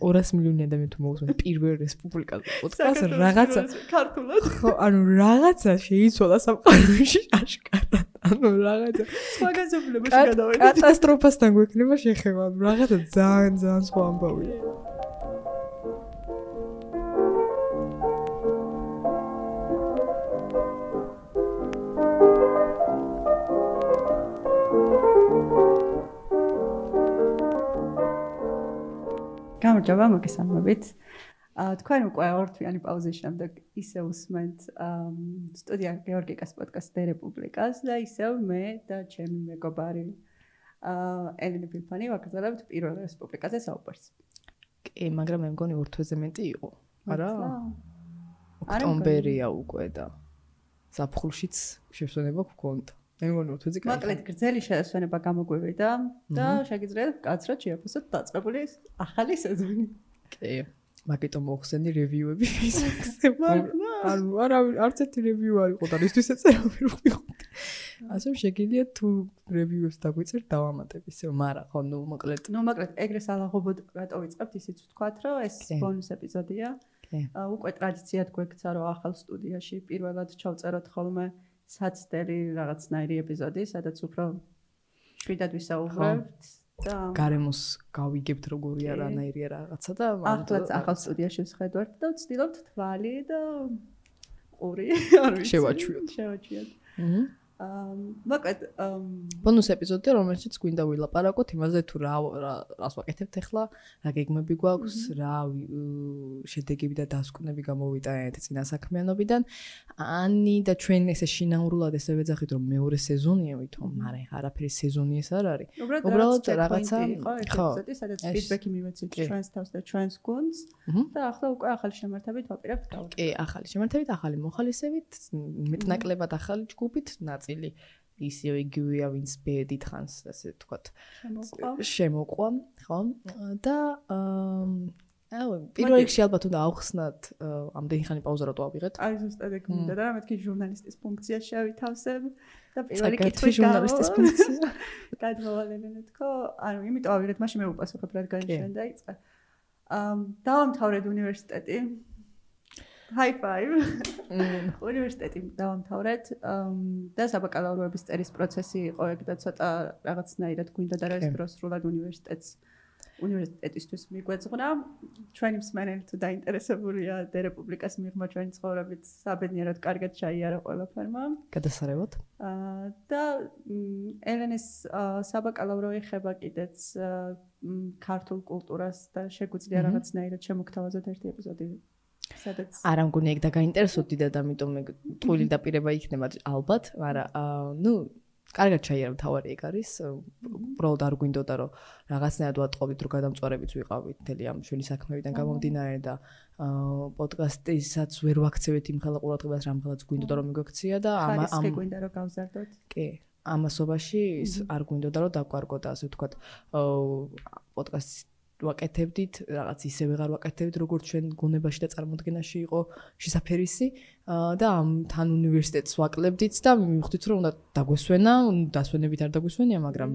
200 მილიონი ადამიანი თუ მოусმენთ პირველ რესპუბლიკაზე პოდკასტს რაღაცა ქართულად. ხო, ანუ რაღაცა შეიცვალა სამყაროში აშკარად. ანუ რაღაცა მაგაზობლებაში გადავედი. კატასტროფასთან გვექნება შეხება. რაღაცა ძალიან სხვა ამბავია. გამარჯობა, მოგესალმებით. თქვენ უკვე ორთვიანი პაუზის შემდეგ ისე უსმენთ სტუდია გეორგიკას პოდკასტ რესპუბლიკას და ისევ მე და ჩემი მეგობარი ელენე ფიფანი ვაგრძელებთ პირველ რესპუბლიკაზე საუბარს. კი, მაგრამ მე მგონი ორთვეზე მეტი იყო. არა? ოქტომბერია უკვე და ზაფხულშიც შესვენება გქონდა. მე მგონი ორთვეზე კაი. მოკლედ გრძელი შესვენება გამოგვივიდა და შეგიძლიათ კაცრად შეაფასოთ დაწყებული ახალი სეზონი. კი. მაგიტომ მოხსენდი რევიუები ფეისბუქზე. ანუ არც ერთი რევიუ არ იყო და რისთვის ეწერა ვერ ვიყავდი. ასე შეგიძლიათ თუ რევიუებს დაგვიწერთ დავამატებ ისე, მაგრამ ხო მოკლედ ეგრე სალაღობოდ რატო ვიწყებთ ისიც ვთქვათ, რომ ეს ბონუს ეპიზოდია. უკვე ტრადიციად გვექცა რომ ახალ სტუდიაში პირველად ჩავწეროთ ხოლმე საცდელი რაღაცნაირი ეპიზოდი, სადაც უფრო შვიდად ვისაუბრებთ და გარემოს გავიგებთ როგორი არანაირია რაღაცა და ახლაც ახალ სტუდიაში ვხედავთ და ვცდილობთ თვალი და ყური არ ვიცი შევაჩვიოთ. მოკლედ ბონუს ეპიზოდი რომელშიც გვინდა ვილაპარაკოთ იმაზე თუ რას ვაკეთებთ ახლა, რა გეგმები გვაქვს, რა შედეგები და დასკვნები გამოვიდა ერთ წინა საქმიანობიდან. ანი და ჩვენ ესე შინაურულად ესე ვეძახით რომ მეორე სეზონია ვითომ, მაგრამ ეხლა არაფერი სეზონი ეს არ არის. უბრალოდ რაღაცა ხო, სადაც ფიდბექი მივეცით ჩვენს თავს და ჩვენს გუნდს და ახლა უკვე ახალი შემართებით ვაპირებთ გავაკეთოთ. კი, ახალი შემართებით, ახალი მოხალისებით, მეტნაკლებად ახალი ჯგუფით ნაწილი ისევ იგივეა ვინც ბედით ხანს ასე ვთქვათ შემოყვა ხო და პირველ რიგში ალბათ უნდა ავხსნათ ამდენი ხანი პაუზა რატო ავიღეთ. აი ზუსტად ეგ მინდა და მეთქი ჟურნალისტის ფუნქცია შევითავსებ და პირველი კითხვი ჟურნალისტის ფუნქცია გადმოვალებინე თქო, ანუ იმიტომ ავიღეთ, მაშინ მე უპასუხებ რა გაიჩვენ დაიწყე. დავამთავრეთ უნივერსიტეტი. High five. უნივერსიტეტი დავამთავრეთ და საბაკალავროების წერის პროცესი იყო ეგ და ცოტა რაღაცნაირად გვინდა და რა დროს სრულად უნივერსიტეტისთვის მიგვეძღვნა. ჩვენი მსმენელი თუ დაინტერესებულია რესპუბლიკას მიღმა ჩვენი ცხოვრებით საბედნიეროდ კარგად ჩაიარა ყველაფერმა. გადასარევად. და ელენეს საბაკალავრო ეხება კიდეც ქართულ კულტურას და შეგვიძლია რაღაცნაირად შემოგთავაზოთ ერთი ეპიზოდი. არა მგონი ეგ და გაინტერესოთ დიდად, ამიტომ მე ტყუილი დაპირება იქნება ალბათ, მაგრამ კარგად ჩაიარა თავარი ეგ არის. უბრალოდ არ გვინდოდა რომ რაღაცნაირად ვატყობდით რომ გადამწვარებიც ვიყავით მთელი ამ ჩვენი საქმეებიდან გამომდინარე და პოდკასტისაც ვერ ვაქცევით იმ ხელა ყურადღებას რამხელაც გვინდოდა რომ მიგვექცია და ამ გვინდა რომ გავზარდოთ. კი, ამასობაში არ გვინდოდა რომ დაგვარგოთ ასე ვთქვათ პოდკასტის ვაკეთებდით, რაღაც ისე ვეღარ ვაკეთებდით, როგორც ჩვენ გონებაში და წარმოდგენაში იყო შესაძფერისი და თან უნივერსიტეტს ვაკლებდით და მივხვდით, რომ უნდა დაგვესვენა, დასვენებით არ დაგვესვენია, მაგრამ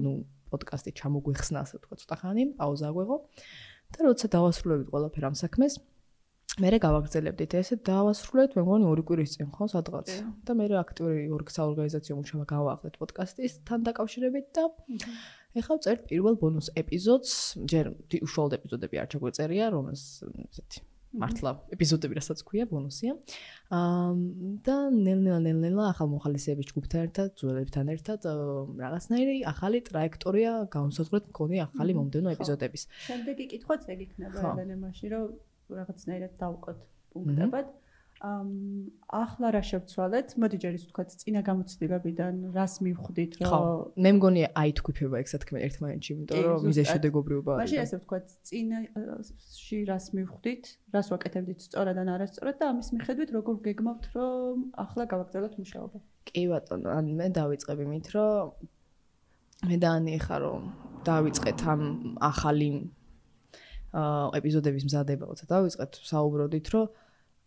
პოდკასტი ჩამოგვეხსნა, ასე ვთქვათ, ცოტა ხანი, პაუზა აგვეღო და როცა დავასრულებით ყველაფერ ამ საქმეს, მერე გავაგრძელებდით ესე დავასრულეთ, მე მგონი 2 კვირის წინ ხო სადღაც და მერე აქტიური საორგანიზაციო მუშაობა გავაახლეთ პოდკასტისთან დაკავშირებით და ეხლა ვწერთ პირველ ბონუს ეპიზოდს, ჯერ უშუალოდ ეპიზოდები არ ჩაგვეწერია, რომელს ესეთი მართლა ეპიზოდები რასაც ქვია, ბონუსია. და ნელ-ნელა ახალ მოხალისეების ჯგუფთან ერთად, ძველებთან ერთად რაღაცნაირი ახალი ტრაექტორია განსაზღვრეთ მქონი ახალი მომდევნო ეპიზოდების. შემდეგი კითხვაც ეგ იქნება ელენე მაშინ რომ რაღაცნაირად დავყოთ პუნქტებად. ახლა რა შევცვალეთ? მოდი ჯერ ის ვთქვათ, წინა გამოცდილებიდან რას მივხვდით, რომ ხო, მე მგონი აი თქვიფება ეგ სათქმე ერთმანეთში, იმიტომ რომ მიზეშედეგობრიობა არის. მაშინ ასე ვთქვათ, წინაში რას მივხვდით, რას ვაკეთებდით სწორად ან არასწორად და ამის მიხედვით როგორ გეგმავთ, რომ ახლა გავაგრძელოთ მუშაობა. კი ბატონო, ან მე დავიწყებ იმით, რომ მე და ანი ხა რომ დავიწყეთ ამ ახალი ეპიზოდების მზადება, როცა დავიწყეთ, საუბრობდით, რომ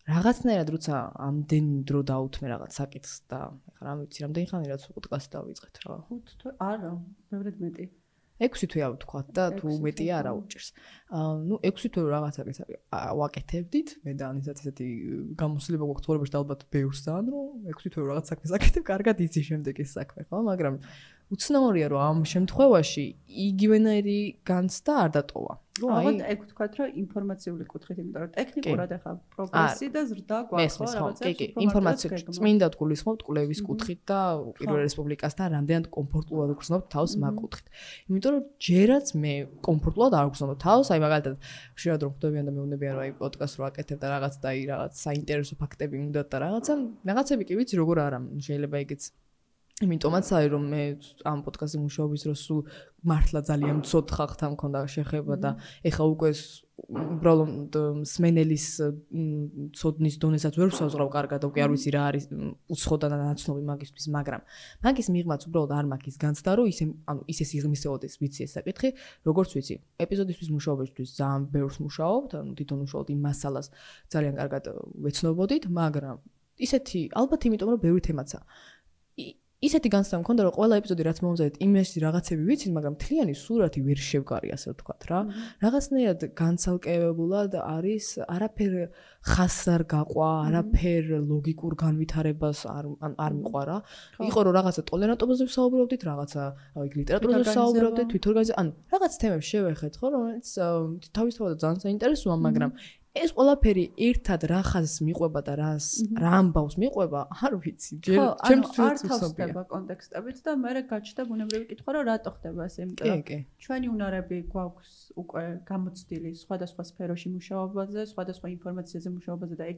რაღაცნაირად როცა ამდენი დრო დაუთმე რაღაც საკითხს და ეხლა რა ვიცი, რამდენი ხანი რაც პოდკასტი დავიწყეთ რა. 5 თუ არა, ბევრად მეტი. 6 თვე ავთქვათ და თუ მეტია არა უჭირს. ნუ 6 თვე რაღაცაკაც ვაკეთებდით, მე და ანისაც ესეთი გამოსილება გვაქვს ცხოვრებაში და ალბათ ბევრს ძალიან რომ 6 თვე რაღაც საქმეს აკეთებ, კარგად იცი შემდეგ ეს საქმე, ხო? მაგრამ უცნაურია რომ ამ შემთხვევაში იგივენაირი განცდა არ დატოვა. ალბათ ეგ ვთქვათ რომ ინფორმაციული კუთხით, იმიტომ რომ ტექნიკურად ახლა პროგრესი და ზრდა გვაქვს რაღაცა ინფორმაცია წმინდა გულისხმობთ კვლევის კუთხით და პირველ რესპუბლიკასთან რამდენად კომფორტულად გრძნობთ თავს მაგ კუთხით. იმიტომ რომ ჯერაც მე კომფორტულად არ გრძნობ თავს, აი მაგალითად ხშირად რომ ხვდებიან და მეუბნებიან რომ აი პოდკასტს რო აკეთებ და რაღაც და აი რაღაც საინტერესო ფაქტები უნდა და რაღაცები კი ვიცი როგორ არა, შეიძლება ეგეც იმიტომაც არის რომ მე ამ პოდკასტზე მუშაობის დროს სულ მართლა ძალიან მცოდ ხალხთან მქონდა შეხება და ეხა უკვე უბრალოდ სმენელის ცოდნის დონესაც ვერ ვსაზღვრავ კარგად და უკვე არ ვიცი რა არის უცხო და ნაცნობი მაგისთვის, მაგრამ მაგის მიღმაც უბრალოდ არ მაქვს ის განცდა რომ ისე სიღრმისეოდეს ვიცი ეს საკითხი, როგორც ვიცი ეპიზოდისთვის მუშაობისთვის ძალიან ბევრს მუშაობთ, თვითონ უშუალოდ იმ მასალას ძალიან კარგად ვეცნობოდით, მაგრამ ისეთი ალბათ იმიტომ რომ ბევრი თემაცაა ისეთი განცდა მქონდა რომ ყველა ეპიზოდი რაც მომზადეთ იმაში რაღაცები ვიცით, მაგრამ მთლიანი სურათი ვერ შევგარი ასე ვთქვათ რა. რაღაცნაირად განცალკევებულად არის არაფერ ხაზს არ გაყვა, არაფერ ლოგიკურ განვითარებას არ მიყვარა. იყო რომ რაღაცა ტოლერანტობაზე ვსაუბრობდით, რაღაცა ლიტერატურაზე ვსაუბრობდით, თვითორგანიზაცია, ანუ რაღაც თემებს შევეხეთ ხო, რომელიც თავისთავად ძალიან საინტერესოა, მაგრამ ეს ყველაფერი ერთად რა ხაზს მიყვება და რა ამბავს მიყვება, არ ვიცი. ჩემთვის არ თავსდება კონტექსტებით და მე გაჩნდა ბუნებრივი კითხვა, რომ რატო ხდება ეს, იმიტომ რომ ჩვენი უნარები გვაქვს უკვე გამოცდილი სხვადასხვა სფეროში მუშაობაზე, სხვადასხვა ინფორმაციაზე მუშაობაზე და ეგ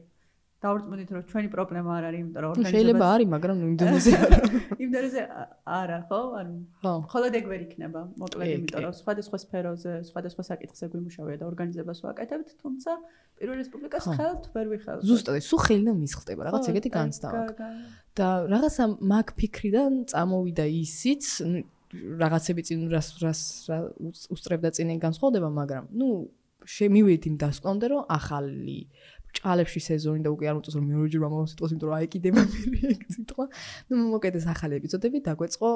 დავრწმუნდით რომ ჩვენი პრობლემა არ არის, იმიტომ რომ ორგანიზება შეიძლება არის, მაგრამ იმ დონეზე არა. იმ დონეზე არა, ხო? ანუ მხოლოდ ეგ ვერ იქნება, მოკლედ, იმიტომ რომ სხვადასხვა სფეროზე, სხვადასხვა საკითხზე გვიმუშავია და ორგანიზებას ვაკეთებთ, თუმცა პირველ რესპუბლიკას ხელთ ვერ ვიხელთ. ზუსტად, სულ ხელი და მისხდება, რაღაც ეგეთი განცდა მაქვს. და რაღაცა მაგ ფიქრიდან წამოვიდა ისიც, რაღაცები წინ რას უსწრებდა წინ განსხვავდება, მაგრამ ნუ შემივედი იმ დასკვნამდე, რომ ახალი ჭალებში სეზონი და უკვე არ მოწონს რომ მეორეჯერ მომავალ სიტყვას, იმიტომ რომ აიკიდება მე ეგ სიტყვა. ნუ მოკეთეს ახალი ეპიზოდები, დაგვეწყო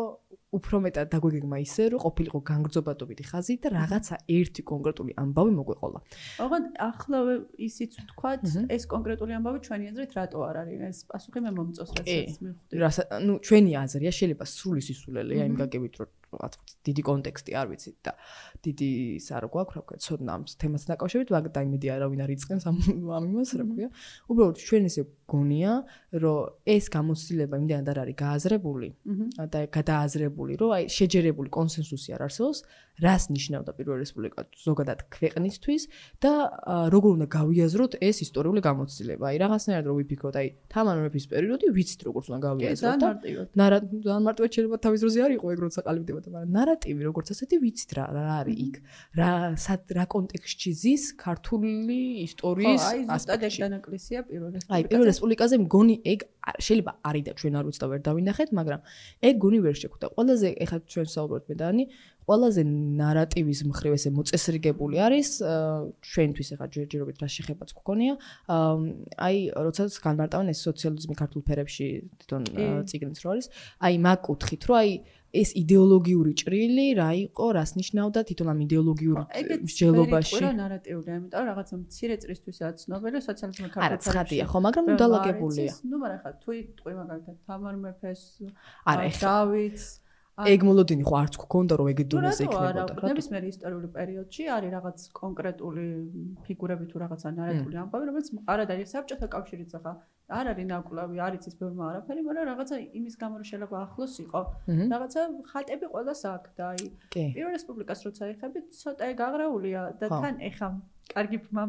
უფრო მეტად დაგვეგეგმა ისე, რომ ყოფილიყო განგრძობადობითი ხაზი და რაღაცა ერთი კონკრეტული ამბავი მოგვეყოლა. ოღონდ ახლავე ისიც ვთქვათ, ეს კონკრეტული ამბავი ჩვენი აზრით რატო არ არის? ეს პასუხი მე მომწონს, რასაც მივხვდი. ნუ ჩვენი აზრია, შეიძლება სრული სისულელეა იმ გაგებით, რომ რაღაც დიდი კონტექსტი არ ვიცით და დიდი ის არ გვაქვს, რა ვქო, ცოდნა ამ თემასთან დაკავშირებით, მაგრამ დაიმედი არავინ არ იწყენს ამ იმას, რა ვქო. უბრალოდ ჩვენ ესე გონია, რომ ეს გამოცდილება იმდენად არ არის გააზრებული და გადააზრებული, რომ აი შეჯერებული კონსენსუსი არ არსებობს, რას ნიშნავდა პირველ რესპუბლიკა ზოგადად ქვეყნისთვის და როგორ უნდა გავიაზროთ ეს ისტორიული გამოცდილება. აი რაღაცნაირად რომ ვიფიქროთ, აი თამარ მეფის პერიოდი ვიცით როგორც უნდა გავიაზროთ და ძალიან მარტივად შეიძლება თავის დროზე არ იყო ეგ როცა ყალიბდებოდა, მაგრამ ნარატივი როგორც ასეთი ვიცით რა არის იქ. რა კონტექსტში ზის ქართული ისტორიის ასპექტში. აი დანაკლისია პირველ რესპუბლიკაზე. აი პირველ რესპუბლიკაზე მგონი ეგ შეიძლება არის და ჩვენ არ ვიცით და ვერ დავინახეთ, მაგრამ ეგ გონი ვერ შეხვდა. ყველაზე ეხლა ჩვენ საუბრობთ მე და ანი, ყველაზე ნარატივის მხრივ ესე მოწესრიგებული არის ჩვენთვის ეხლა ჯერჯერობით რა შეხებაც გქონია. აი როცა განმარტავენ ეს სოციალიზმი ქართულ ფერებში თვითონ წიგნიც რო არის, აი მაგ კუთხით, რომ აი ეს იდეოლოგიური ჭრილი რა იყო, რას ნიშნავდა თვითონ ამ იდეოლოგიურ მსჯელობაში. ეგეც ნარატიულია, იმიტომ რომ რაღაცა მცირე წრისთვისაც ცნობილი სოციალიზმი ქართულ ფერებში. არა, ცხადია, ხო, მაგრამ ნუ დალაგებულია. ნუ მაგრამ ხა თუ იტყვი მაგალითად თამარ მეფეს, დავითს ეგ მოლოდინი ხო არც გქონდა რომ ეგ დონეზე იქნებოდა. ნებისმიერ ისტორიული პერიოდში არის რაღაც კონკრეტული ფიგურები თუ რაღაცა ნარატიული ამბავი, რომელიც არ არის საბჭოთა კავშირიც ახლა არ არის ნაკვლავი, არ იცის ბევრმა არაფერი, მაგრამ რაღაცა იმის გამო რომ შეიძლება ახლოს იყო. რაღაცა ხატები ყველას აქვს და აი პირველ რესპუბლიკას როცა ეხებით, ცოტა ეგ აღრაულია და თან ეხა კარგი ფმა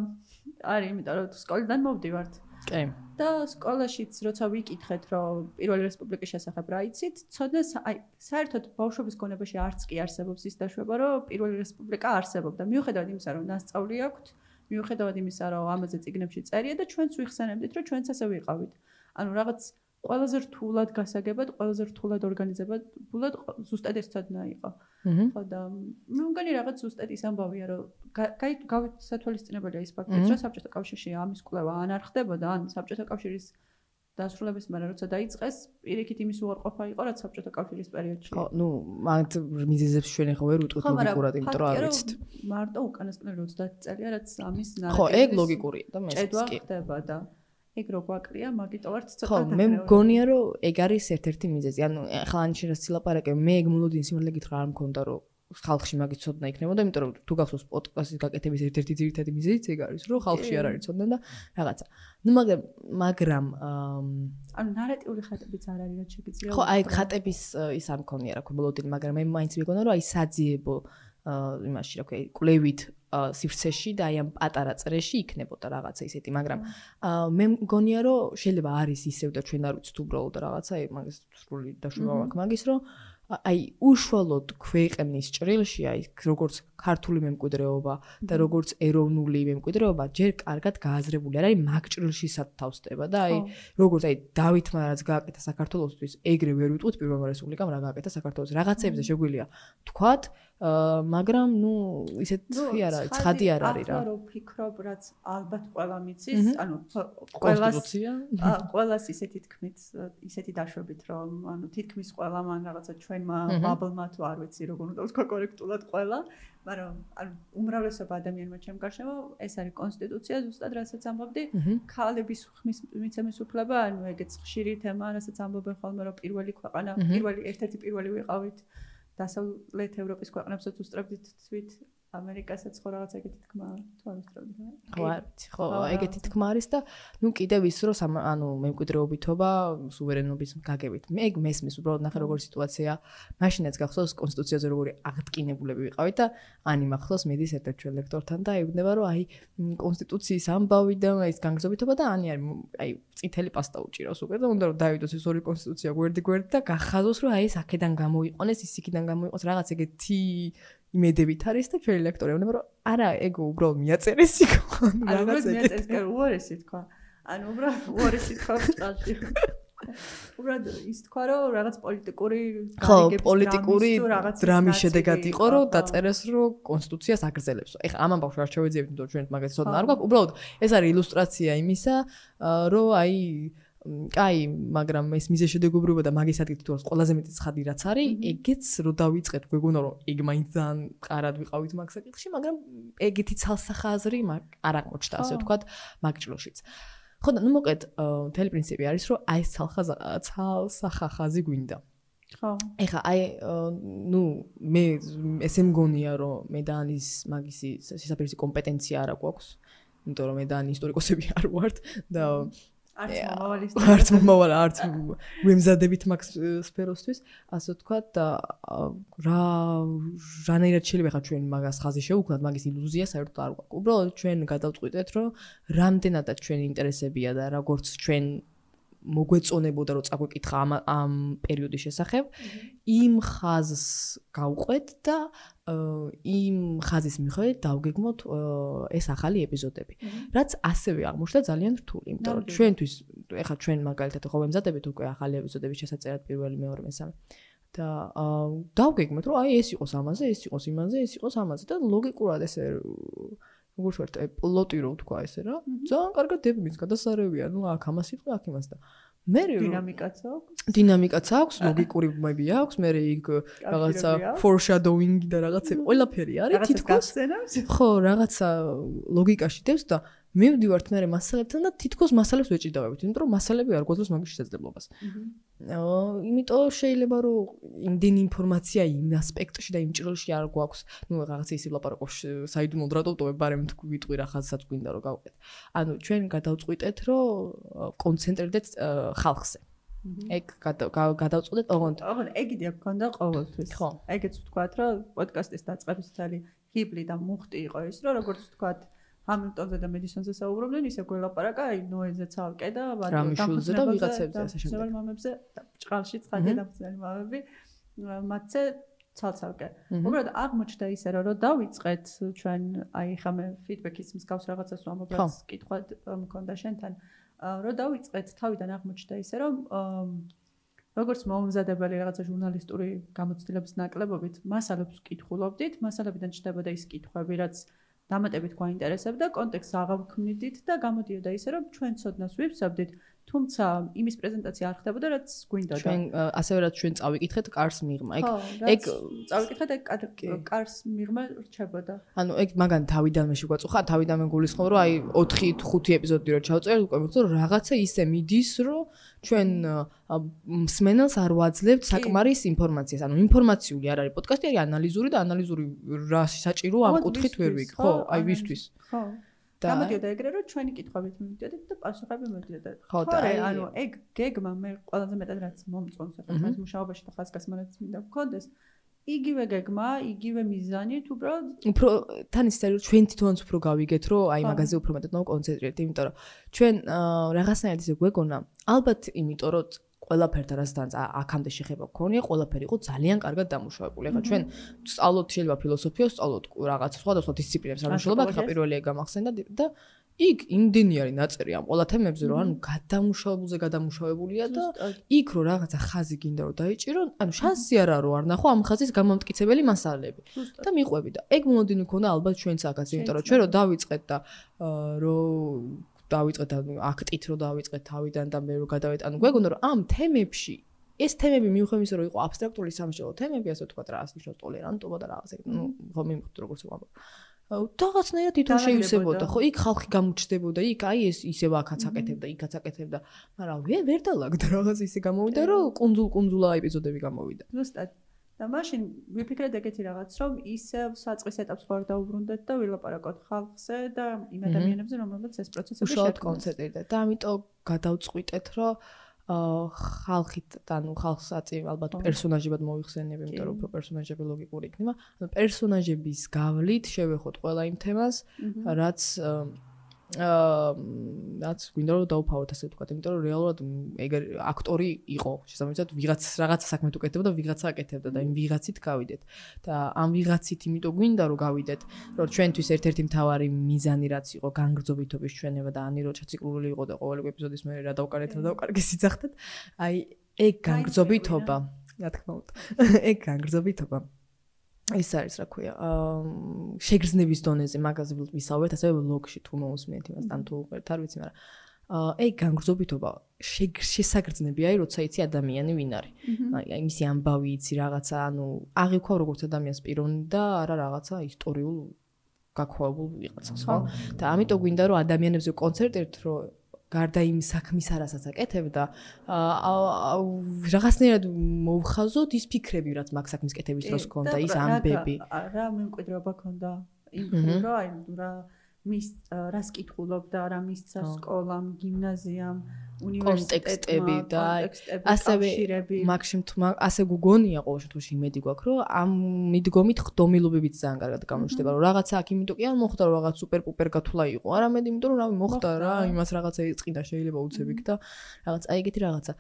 არის, იმიტომ რომ სკოლიდან მოვდივართ. კი. და სკოლაშიც როცა ვიკითხეთ, რომ პირველი რესპუბლიკის შესახებ რა იცით, ცოდნა აი საერთოდ ბავშვობის გონებაში არც კი არსებობს ის დაშვება, რომ პირველი რესპუბლიკა არსებობდა. მიუხედავად იმისა, რომ ნასწავლი აქვთ, მიუხედავად იმისა, რომ ამაზე წიგნებში წერია და ჩვენც ვიხსენებდით, რომ ჩვენც ასე ვიყავით. ანუ რაღაც ყველაზე რთულად გასაგებად, ყველაზე რთულად ორგანიზებულად ზუსტად ეს ცოდნა იყო. ხო და მე მგონი რაღაც ზუსტად ის ამბავია, რომ გავიცათვალისწინებელია ის ფაქტიც, რომ საბჭოთა კავშირში ამის კვლევა ან არ ხდებოდა, ან საბჭოთა კავშირის დასრულების მერე როცა დაიწყეს, პირიქით იმის უარყოფა იყო, რაც საბჭოთა კავშირის პერიოდში. ხო, მაგ მიზეზებს ჩვენ ახლა ვერ ვიტყვით ლოგიკურად, იმიტომ რომ არ ვიცით. მარტო უკანასკნელი 30 წელია, რაც ამის ნარატივის ხო, ეგ ლოგიკურია და მე ჭედვა ხდება და ეგ რო გვაკლია, მაგით ვართ ცოტა ხო, მე მგონია რომ ეგ არის ერთ-ერთი მიზეზი. ანუ ახლა ანჩი რას ცილაპარაკე, მე ეგ მოლოდინის სიმართლე გითხრა არ მქონდა რომ ხალხში მაგის ცოდნა იქნებოდა, იმიტომ რომ თუ გახსოვს პოდკასტის გაკეთების ერთ-ერთი ძირითადი მიზეზიც ეგ არის, რომ ხალხში არ არის ცოდნა და რაღაცა. ნუ მაგრამ ანუ ნარატიული ხატებიც არ არის, რაც შეგიძლია. ხო, აი ხატების ის არ მქონია, რა ქვია, მოლოდინი, მაგრამ მე მაინც მეგონა რომ აი საძიებო იმაში, რა ქვია, კლევით სივრცეში და აი ამ პატარა წრეში იქნებოდა რაღაცა ისეთი, მაგრამ მე მგონია რომ შეიძლება არის ისევ და ჩვენ არ ვიცით უბრალოდ რაღაცა, მაგის სრული დაშვება მაქვს მაგის, რომ აი უშუალოდ ქვეყნის ჭრილში აი როგორც ქართული მემკვიდრეობა და როგორც ეროვნული მემკვიდრეობა ჯერ კარგად გააზრებული არ არის მაგ ჭრილში სათავსდება და აი როგორც აი დავითმა რაც გააკეთა საქართველოსთვის ეგრე ვერ ვიტყვით პირველმა რესპუბლიკამ რა გააკეთა საქართველოს რაღაცებზე შეგვიძლია თქვათ მაგრამ ნუ ისეთი არ არის ცხადი არ არის რა. ახლა რო ფიქრობ რაც ალბათ ყველა მიცის, ანუ ყველას ისეთი თქმით, ისეთი დაშვებით რომ ანუ თითქმის ყველა მან რაღაცა ჩვენმა ბაბლმა თუ არ ვიცი როგორ უნდა ვთქვა კორექტულად ყველა, მაგრამ ანუ უმრავლესობა ადამიანმა ჩემ გარშემო ეს არის კონსტიტუცია ზუსტად რასაც ამბობდი, ქალების მიცემის უფლება, ანუ ეგეც ხშირი თემა, რასაც ამბობენ ხოლმე რომ პირველი ქვეყანა, ერთ-ერთი პირველი ვიყავით დასავლეთ ევროპის ქვეყნებსაც უსწრებდით თვით ამერიკასაც ხო რაღაც ეგეთი თქმა თუ არ უსწრებდით ხო ეგეთი თქმა არის და ნუ კიდევ ის რომ ანუ მემკვიდრეობითობა სუვერენობის გაგებით მე ეგ მესმის უბრალოდ ნახე როგორი სიტუაცია მაშინაც გახსოვს კონსტიტუციაზე როგორი აღტკინებულები ვიყავით და ანი მახსოვს მედის ერთ-ერთ ჩვენ ლექტორთან და იგნება რომ აი კონსტიტუციის ამბავი და ის განგზობითობა და ანი არის აი წითელი პასტა უჭირავს უკვე და უნდა რომ დავიდოს ეს ორი კონსტიტუცია გვერდი და გახაზოს რომ აი ეს აქედან გამოიყონეს ის იქიდან გამოიყოს რაღაც ეგეთი იმედებით არის და ჩვენი ლექტორი ეუბნება რომ არა ეგ უბრალოდ მიაწერეს იქ რაღაც მიაწერეს კი უარესი თქვა ანუ უბრალოდ უარესი თქვა წყალში უბრალოდ ის თქვა რომ რაღაც პოლიტიკური დრამის შედეგად იყო რომ დაწერეს რომ კონსტიტუციას აგრძელებს ეხლა ამ ამბავს არ შევეძიებთ იმიტომ ჩვენ მაგას ცოდნა არ გვაქვს უბრალოდ ეს არის ილუსტრაცია იმისა რომ აი კაი, მაგრამ ეს მიზეშედეგობრიობა და მაგის ადგილით თუ ყველაზე მეტი ცხადი რაც არის, ეგეც რო დავიწყეთ, გვეგონა რომ ეგ მაინც ძალიან მყარად ვიყავით მაგ საკითხში, მაგრამ ეგეთი ცალსახაზრი არ აღმოჩნდა, ასე ვთქვათ, მაგ ჭრილშიც. ხო და ნუ მოკლედ, მთელი პრინციპი არის, რომ აი ეს ცალსახაზი გვინდა. ხო. ეხლა აი ნუ მე ესე მგონია რომ მე და ანის მაგისი სისაფერის კომპეტენცია არ აქვს, იმიტომ რომ მე და ანი ისტორიკოსები არ ვართ და არც მომავალ არც ვემზადებით მაგ სფეროსთვის ასე ვთქვათ და რანაირად შეიძლება ხა ჩვენ მაგას ხაზი შევუქმნათ მაგის ილუზია საერთოდ არ გვაქვს უბრალოდ ჩვენ გადავწყვიტეთ რომ რამდენადაც ჩვენი ინტერესებია და როგორც ჩვენ მოგვეწონებოდა რომ წაგვეკითხა ამ პერიოდის შესახებ იმ ხაზს გავყვეთ და იმ ხაზის მიხედვით დავგეგმოთ ეს ახალი ეპიზოდები რაც ასევე აღმოჩნდა ძალიან რთული იმიტომ რომ ჩვენთვის ეხლა ჩვენ მაგალითად ხო ვემზადებით უკვე ახალი ეპიზოდების შესაწერად პირველი მეორე მესამე და დავგეგმოთ რომ აი ეს იყოს ამაზე ეს იყოს იმაზე ეს იყოს ამაზე და ლოგიკურად ესე როგორც ვართ პლოტი რო თქვა ესე რა ძალიან კარგად დებმის გადასარევია ნუ აქ ამას იყო აქ იმას და მე დინამიკაც აქვს ლოგიკური ბმები აქვს მე იქ რაღაცა foreshadowing და რაღაცა ყველაფერი არის თითქოს ხო რაღაცა ლოგიკაში დევს და მე ვდივართ მე მასალებთან და თითქოს მასალებს ვეჭიდავებით იმიტომ რომ მასალები არ გვაძლევს მაგის შესაძლებლობას იმიტომ შეიძლება რომ იმდენი ინფორმაცია იმ ასპექტში და იმ ჭრილში არ გვაქვს ნუ რაღაცა ისე ვლაპარაკობ საიდუმლოდ რატო ვტოვებ ბარემ ვიტყვი რა ხაზსაც გვინდა რომ გავყეთ ანუ ჩვენ გადავწყვიტეთ რომ კონცენტრირდეთ ხალხზე ეგ გადავწყვეტეთ ოღონდ ეგ იდეა გქონდა ყოველთვის ეგეც ვთქვათ რომ პოდკასტის დაწყების თალი ჰიბლი და მუხტი იყო ის რომ როგორც ვთქვათ ჰამილტონზე და მედისონზე საუბრობდნენ, ისე გველაპარაკა, აი ნოეზე ცალკე და რამიშულზე და ვიღაცებზე ასე შემდეგ. ძველ მამებზე ჭყალში ცხადია დამხსნელი მამები, მათზე ცალ-ცალკე. უბრალოდ აღმოჩნდა ისე რომ დავიწყეთ ჩვენ აი ხამე ფიდბექის მსგავს რაღაცას ვამბობ, რაც კითხვა მქონდა შენთან, რომ დავიწყეთ თავიდან აღმოჩნდა ისე რომ როგორც მომზადებელი რაღაცა ჟურნალისტური გამოცდილების ნაკლებობით მასალებს ვკითხულობდით, მასალებიდან ჩნდებოდა ის კითხვები, რაც დამატებით გვაინტერესებდა, კონტექსტს აღავქმნიდით და გამოდიოდა ისე, რომ ჩვენ ცოდნას ვივსებდით, თუმცა იმის პრეზენტაცია არ ხდებოდა, რაც გვინდოდა. ჩვენ ასევე რაც ჩვენ წავიკითხეთ კარს მიღმა. ეგ წავიკითხეთ, ეგ კარს მიღმა რჩებოდა. ანუ ეგ მაგან თავიდანვე შეგვაწუხა, თავიდანვე გულისხმობ, რომ აი 4-5 ეპიზოდი რო ჩავწერეთ, უკვე მიხდო რომ რაღაცა ისე მიდის, რომ ჩვენ მსმენელს არ ვაძლევთ საკმარის ინფორმაციას. ანუ ინფორმაციული არ არის პოდკასტი, არის ანალიზური და ანალიზური რა საჭირო ამ კუთხით ვერ ვიგ, ხო? აი ვისთვის. ხო. გამოდიოდა ეგრე რომ ჩვენი კითხვებით მივიდოდით და პასუხები მივიდოდა. თორე ანუ ეგ გეგმა მე ყველაზე მეტად რაც მომწონს ახლა ეს მუშაობაში და ხაზგასმანაც მინდა გქონდეს. იგივე გეგმა, იგივე მიზანით, უბრალოდ უფრო თან ისე რომ ჩვენ თვითონაც უფრო გავიგეთ, რომ აი მაგაზე უფრო მეტად მოვკონცენტრირდეთ, იმიტომ რომ ჩვენ რაღაცნაირად ისე გვეგონა, ალბათ იმიტომ რომ ყველაფერთან რასაც აქამდე შეხება გქონია, ყველაფერი იყო ძალიან კარგად დამუშავებული. ახლა ჩვენ სწავლობთ შეიძლება ფილოსოფიას, სწავლობთ რაღაც სხვადასხვა დისციპლინებს, რა მშობა, ახლა პირველი ეგ გამახსენდა და იქ იმდენი არის ნაწერი ამ ყველა თემებზე, რომ ანუ გადამუშავებულია და იქ რო რაღაცა ხაზი გინდა რომ დაიჭირო, ანუ შანსი არ არის რომ არ ნახო ამ ხაზის გამომტკიცებელი მასალები და მიყვები და ეგ მოლოდინი ქონდა ალბათ ჩვენც აქაც, იმიტომ რომ ჩვენ რო დავიწყეთ და დავიწყეთ აქტით რო დავიწყეთ თავიდან და მე რო გადავეთ, ანუ გვეგონა რომ ამ თემებში ეს თემები მიუხედავად იმისა რომ იყო აბსტრაქტული სამშობლო თემები, ასე ვთქვათ, რა ასნიშნავს ტოლერანტობა და რაღაც ეგ, ნუ ხო მიმხვდ როგორც ვამბობ. რაღაცნაირად თვითონ შეივსებოდა, ხო, იქ ხალხი გამოჩნდებოდა, იქ აი ეს ისევ აქაც აკეთებდა, იქაც აკეთებდა, მაგრამ ვერ დალაგდა რაღაც ისე გამოვიდა, რომ კუნძულა ეპიზოდები გამოვიდა. ზუსტად. და მაშინ ვიფიქრეთ ეგეთი რაღაც, რომ ისევ საწყის ეტაპს ვარ დაუბრუნდეთ და ვილაპარაკოთ ხალხზე და იმ ადამიანებზე, რომელთაც ეს პროცესები უშუალოდ კონცენტრირდეთ და ამიტომ გადავწყვიტეთ, რომ ხალხით, ანუ ხალხსაც ალბათ პერსონაჟებად მოვიხსენებ, იმიტომ რომ უფრო პერსონაჟები ლოგიკური იქნება. ანუ პერსონაჟების გავლით შევეხოთ ყველა იმ თემას, რაც გვინდა რომ დავფავოთ, ასე ვთქვათ, იმიტომ რომ რეალურად ეგ აქტორი იყო, შესაბამისად ვიღაც რაღაცა საქმე თუ კეთდებოდა, ვიღაცა აკეთებდა და იმ ვიღაცით გავიდეთ. და ამ ვიღაცით იმიტომ გვინდა რომ გავიდეთ, რომ ჩვენთვის ერთ-ერთი მთავარი მიზანი რაც იყო განგრძობითობის ჩვენება და ანი რო ჩაციკლული იყო და ყოველი ეპიზოდის მე რა დავკარეთ, რა დავკარგე სიძახდეთ. აი ეგ განგრძობითობა, რა თქმა უნდა. ეგ განგრძობითობა ის არის რა ქვია, შეგრძნების დონეზე მაგაზე ვისაუბრეთ, ასევე ბლოგში თუ მოусმენთ იმას, ან თუ უყურებთ, არ ვიცი, მაგრამ ეგ განგრძობითობა შესაგრძნებია, როცა იცი ადამიანი ვინ არის. აი მისი ამბავი იცი რაღაცა, ანუ აღიქვავ როგორც ადამიანს პიროვნი და არა რაღაცა ისტორიულ გაქოვებულ ვიღაცას, ხო? და ამიტომ გვინდა რომ ადამიანებზე კონცენტრირდეთ, რომ გარდა იმ საქმისა, რასაც აკეთებდა, რაღაცნაირად მოვხაზოთ ის ფიქრები, რაც მაგ საქმის კეთების დროს ჰქონდა, ის ამბები. რა მემკვიდრეობა ჰქონდა იმ ხრივ, რა მის რას კითხულობდა, რა მისცა სკოლამ, გიმნაზიამ, უნივერსიტეტები და ასევე მაგშემ თუ ასე გგონია ყოველ შემთხვევაში იმედი გვაქვს, რომ ამ მიდგომით ხდომილობებიც ძალიან კარგად გამოჩნდება, რომ რაღაცა აქ იმიტომ კი არ მოხდა, რომ რაღაც სუპერ პუპერ გათვლა იყო, არამედ იმიტომ რომ რავი მოხდა რა, იმას რაღაცა იწყიდა შეიძლება უცებ იქ და რაღაც აი ეგეთი რაღაცა.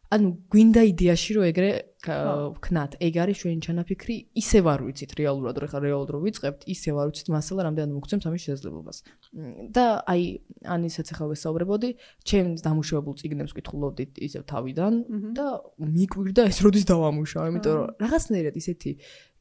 ანუ გვინდა იდეაში რომ ეგრე ვქნათ, ეგ არის ჩვენი ჩანაფიქრი, ისე ვარ ვიცით რეალურად, რომ ხა რეალურად რო ვიწყებთ, ისე ვარ ვიცით მასალა რამდენად მოგცემს ამის შესაძლებლობას. და აი ანისაც ახლა ვესაუბრებოდი, ჩემს დამუშავებულ წიგნებს ვკითხულობდით ისევ თავიდან და მიკვირდა ეს როდის დავამუშავე, იმიტომ რომ რაღაცნაირად ისეთი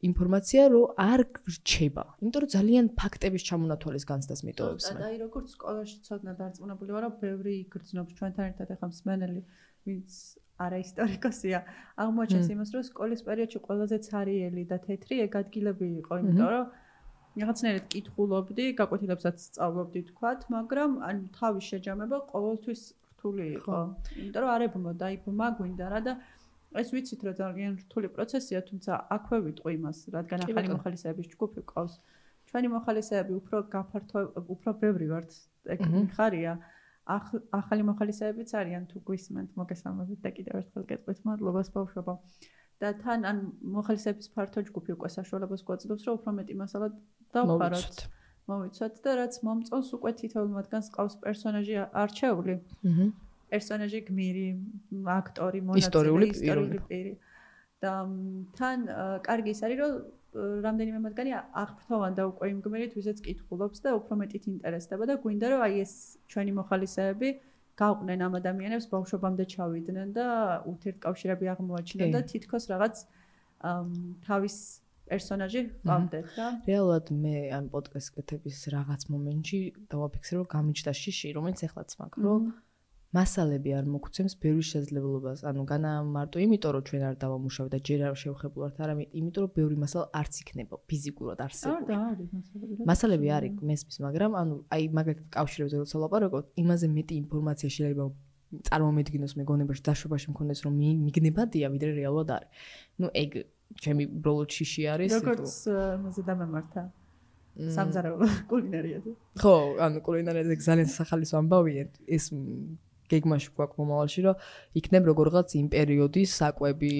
ინფორმაცია რომ არ რჩება, იმიტომ რომ ძალიან ფაქტების ჩამონათვალის განცდას მიტოვებს მე. და აი როგორც სკოლაში ცოდნა დარწმუნებული ვარ, რომ ბევრი იგრძნობს ჩვენთან ერთად ახლა მსმენელი, ვინც არა ისტორიკოსია, აღმოჩენს იმას, რომ სკოლის პერიოდში ყველაზე ცარიელი და თეთრი ეგ ადგილები იყო, იმიტომ რომ რაღაცნაირად კითხულობდი, გაკვეთილებსაც სწავლობდი თქვათ, მაგრამ ან თავის შეჯამება ყოველთვის რთული იყო. იმიტომ რომ არ ებმოდა, იბმა გვინდა რა და ეს ვიცით რომ ძალიან რთული პროცესია, თუმცა აქვე ვიტყვი იმას, რადგან ახალი მოხალისეების ჯგუფი ყავს. ჩვენი მოხალისეები უფრო ბევრი ვართ, ეგ ხარია. ახალი მოხალისეებიც არიან თუ გვისმენთ, მოგესალმებით და კიდევ ერთხელ გეტყვით მადლობას ბავშვებო. და თან ან მოხალისეების ფართო ჯგუფი უკვე საშუალებას გვაძლევს, რომ უფრო მეტი მასალა დავხაროთ. მოვიცოთ და რაც მომწონს უკვე თითოეულ მათგანს ყავს პერსონაჟი არჩეული. პერსონაჟი გმირი, აქტორი, მონაწილე, ისტორიული პირი. და თან კარგი ის არის, რომ რამდენიმე მათგანი აღფრთოვან და უკვე იმ გმირით, ვისაც კითხულობს და უფრო მეტით ინტერესდება და გვინდა რომ აი ეს ჩვენი მოხალისეები გავყნენ ამ ადამიანებს ბავშვობამდე ჩავიდნენ და ურთიერთკავშირები აღმოაჩინონ და თითქოს რაღაც თავის პერსონაჟი ყავდეთ რა. რეალურად მე ამ პოდკასტ კეთების რაღაც მომენტში დავაფიქსე რომ გამიჩნდა შიში, რომელიც ეხლაც მაქვს, რომ მასალები არ მოგცემს ბევრი შესაძლებლობას. ანუ განა მარტო იმიტომ რომ ჩვენ არ დავამუშავებთ და ჯერ არ შევხებულ ვართ, არამედ იმიტომ რომ ბევრი მასალა არც იქნება ფიზიკურად არსებული. არის მასალები არის მესმის, მაგრამ ანუ აი მაგალითად კავშირებზე როცა ვლაპარაკობ, იმაზე მეტი ინფორმაცია შეიძლება წარმომედგინოს მეგონებაში, დაშვებაში მქონდეს რომ მიგნებადია, ვიდრე რეალურად არის. ნუ ეგ ჩემი ბროლო ჩიში არის. როგორც მოზე დამემართა სამზარეულო კულინარიაზე. ხო, ანუ კულინარიაზე ძალიან სახალისო ამბავია ეს გეგმაში გვაქვს მომავალში, რომ იქნებ როგორღაც იმ პერიოდის საკვები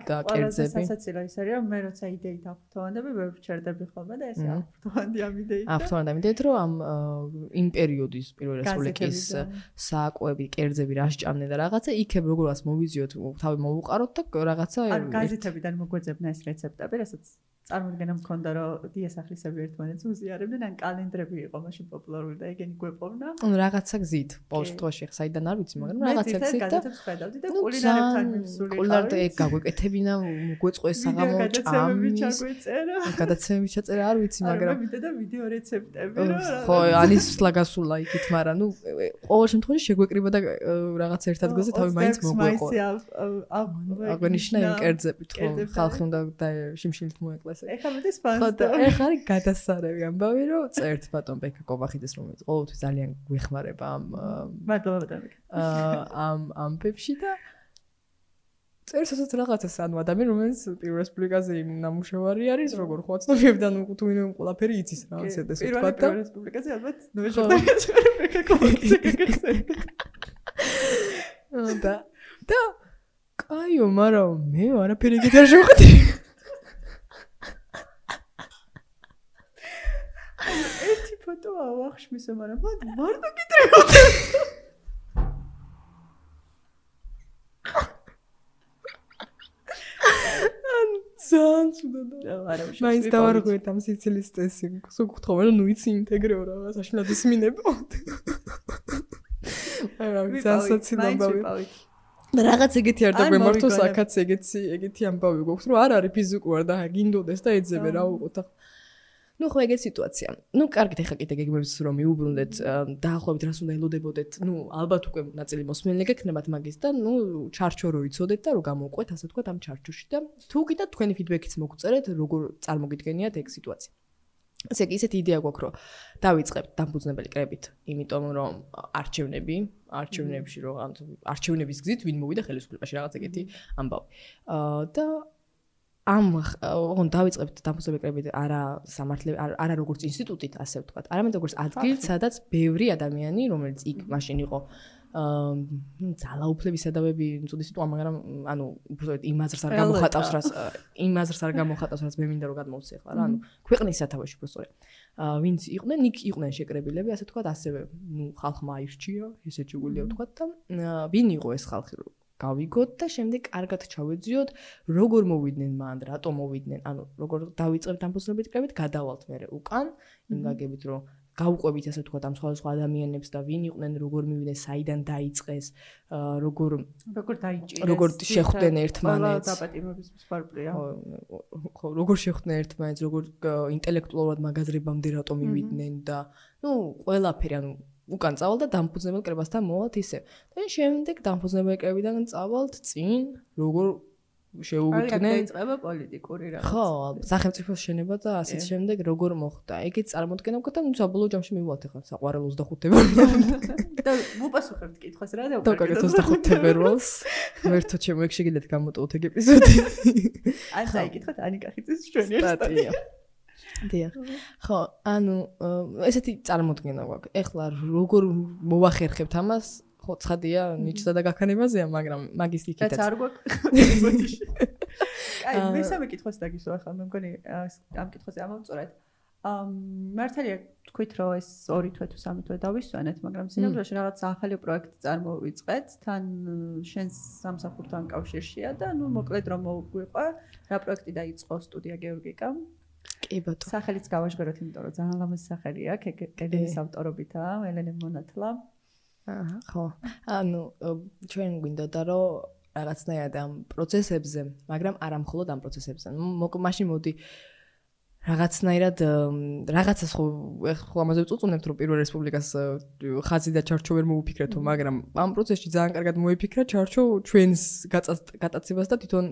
და კერძები. ანუ სასაცილო ის არის, რომ მე როცა იდეით აფრთოვანდები, ვერ ვჩერდები ხოლმე და ესე აფრთოვანდი ამ იდეით. აფრთოვანდი ამ იდეით, რომ იმ პერიოდის პირველ რესპუბლიკის საკვები, კერძები რა სჭამდნენ და რაღაცა იქებ როგორღაც მოვიზიოთ, თავი მოვუყაროთ და რაღაცა ანუ გაზეთებიდან მოგვეძებნა ეს რეცეპტები, რასაც წარმოიდგენა მქონდა რომ დიასახლისები ერთმანეთს უზიარებდნენ, ან კალენდრები იყო მაშინ პოპულარული და ეგენი გვეპოვნა. ანუ რაღაცა გზით, ყოველ შემთხვევაში საიდან არ ვიცი, მაგრამ რაღაცა გზით და გაზეთებს ხედავდი და კულინარებთან მისული ყავი. კულინარდა ეგ გაგვეკეთებინა, მოგვეწყო ეს საღამო ჭამი. გადაცემები ჩაწერა, არ ვიცი, მაგრამ და ვიდეო რეცეპტები რა. ხო, ანისლა გასულა იქით, მაგრამ ნუ ყოველ შემთხვევაში შეგვეკრიბა და რაღაც ერთ ადგილზე თავი მაინც მოგვეყო. აღნიშნა იმ კერძებით, ხო, ხალხი უნდა შიმშილით მოეკლეს. ეხლა მეც ფანს და ეხლა არის გადასარევი ამბავი რომ წერთ ბატონ ბექა კობახიძეს რომელიც ყოველთვის ძალიან გვეხმარება მადლობა ბატონ ამ პეპში და წერს ასეთ რაღაცას ანუ ადამიანი რომელიც პირველ რესპუბლიკაზე ნამუშევარი არის როგორ ხო აცნობებიდან თუ ვინმე ყველაფერი იცის რა ასე და პირველ რესპუბლიკაზე ალბათ ნოეჟოტაგას ბექა კობახიძე გაგახსენდა და კაიო მაგრამ მე არაფერი ეგეთი არ შევხვდი ერთი ფოტოა ვახშმისო, მაგრამ მარტო გიტრევოდი. ძალიან ცუდად. მაინც დავარღვიეთ ამ სიცილის წესი. სულ გთხოვე რომ ნუ იცი ინტეგრეო რა, საშინლად ისმინებო. მაგრამ ძალიან საცილო ამბავი. რაღაც ეგეთი არ დაგვემართოს აქაც ეგეთი ამბავი გვაქვს რომ არ არის ფიზიკურად და გინდოდეს და ეძებე რა უყოთ. ნუ ხო ეგეთი სიტუაცია. ნუ კარგით ეხა კიდე გეგმებს რომ მიუბრუნდეთ დაახლოებით რას უნდა ელოდებოდეთ. ნუ ალბათ უკვე ნაწილი მოსმენილი გექნებათ მაგის და ნუ ჩარჩო რო იცოდეთ და რო გამოვყვეთ ასე თქვა ამ ჩარჩოში და თუ კიდე თქვენი ფიდბექიც მოგწერეთ როგორ წარმოგიდგენიათ ეგ სიტუაცია. ესე იგი ისეთი იდეა გვაქვს რომ დავიწყებთ დამფუძნებელი კრებით, იმიტომ რომ არჩევნებში რომ არჩევნების გზით ვინ მოვიდა ხელისუფლებაში რაღაც ეგეთი ამბავი. და ამ დავიწყებთ დამფუძნებელი კრებით არა სამართლე არა როგორც ინსტიტუტით ასე ვთქვათ, არამედ როგორც ადგილ, სადაც ბევრი ადამიანი, რომელიც იქ მაშინ იყო ძალაუფლების სადავები, უწოდი სიტყვა, მაგრამ ანუ უბრალოდ იმ აზრს არ გამოხატავს, რაც მე მინდა რომ გადმოვცე ახლა რა, ანუ ქვეყნის სათავეში უბრალოდ. ვინც იყვნენ, იქ იყვნენ შეკრებილები, ასე ვთქვათ, ასევე ნუ ხალხმა აირჩია, ესე შეგვიძლია ვთქვათ და ვინ იყო ეს ხალხი რომ გავიგოთ და შემდეგ კარგად ჩავეძიოთ, როგორ მოვიდნენ მან, რატომ მოვიდნენ, ანუ როგორ დავიწყებთ დამფუძნებელი კრებით, გადავალთ მე უკან, იმ გაგებით რომ გავუყვებით ასე ვთქვათ ამ სხვა ადამიანებს და ვინ იყვნენ, როგორ მივიდნენ, საიდან დაიწყეს, როგორ დაიჭირეს, როგორ შეხვდნენ ერთმანეთს. დაპატიმრების მსხვერპლია. ხო, როგორ შეხვდნენ ერთმანეთს, როგორ ინტელექტუალურად მაგაზრებამდე რატომ მივიდნენ და ნუ ყველაფერი, ანუ უკან წავალ და დამფუძნებელ კრებასთან მოვალთ ისე. და შემდეგ დამფუძნებელ კრებიდან წავალთ წინ, როგორ შეუვიდნენ. დაიწყება პოლიტიკური რაღაც. ხო, სახელმწიფოს შენება და ასეთ შემდეგ როგორ მოხდა. ეგეც წარმოდგენა ვქოთ და ნუ საბოლოო ჯამში მივვალთ ახლა საყვარელ 25 თებერვალს. და მოპასუხებთ კითხვას რა და დავკარგეთ 25 თებერვალს. ვერთო ჩემო ეგ შეგიძლიათ გამოტოვოთ ეგ ეპიზოდი. ან წაიკითხოთ ანიკა ხიძის ჩვენი სტატია. დიახ. ხო, ანუ ესეთი წარმოდგენა გვაქვს. ეხლა როგორ მოვახერხებთ ამას? ხო, ცხადია, ნიჭსა და გაქანებაზეა, მაგრამ მაგის იქითაც. რაც არ გვაქვს. აი, მესამე კითხვას დაგისვა ახლა, მე მგონი ამ კითხვაზე ამოვწორეთ. მართალია თქვით, რომ ეს 2 თვე თუ 3 თვე დავისვენეთ, მაგრამ სინამდვილეში რაღაც ახალი პროექტი წარმოვიწყეთ, თან შენს სამსახურთან კავშირშია და ნუ მოკლედ რომ მოვიყვე, რა პროექტი დაიწყო სტუდია გეორგიკამ. კი ბატონო. სახელიც გავაშგეროთ, იმიტომ რომ ძალიან ლამაზი სახელი აქვს, კედელის ავტორობითაა, ელენე მონათლა. აჰა, ხო. ანუ ჩვენ გვინდოდა რომ რაღაცნაირად ამ პროცესებზე, მაგრამ არა მხოლოდ ამ პროცესებზე. მაშინ მოდი რაღაცნაირად რაღაცას ხო ამაზე ვწუწუნებთ რომ პირველ რესპუბლიკას ხაზი და ჩარჩო ვერ მოუფიქრეთო, მაგრამ ამ პროცესში ძალიან კარგად მოიფიქრა ჩარჩო ჩვენს გატაცებას და თვითონ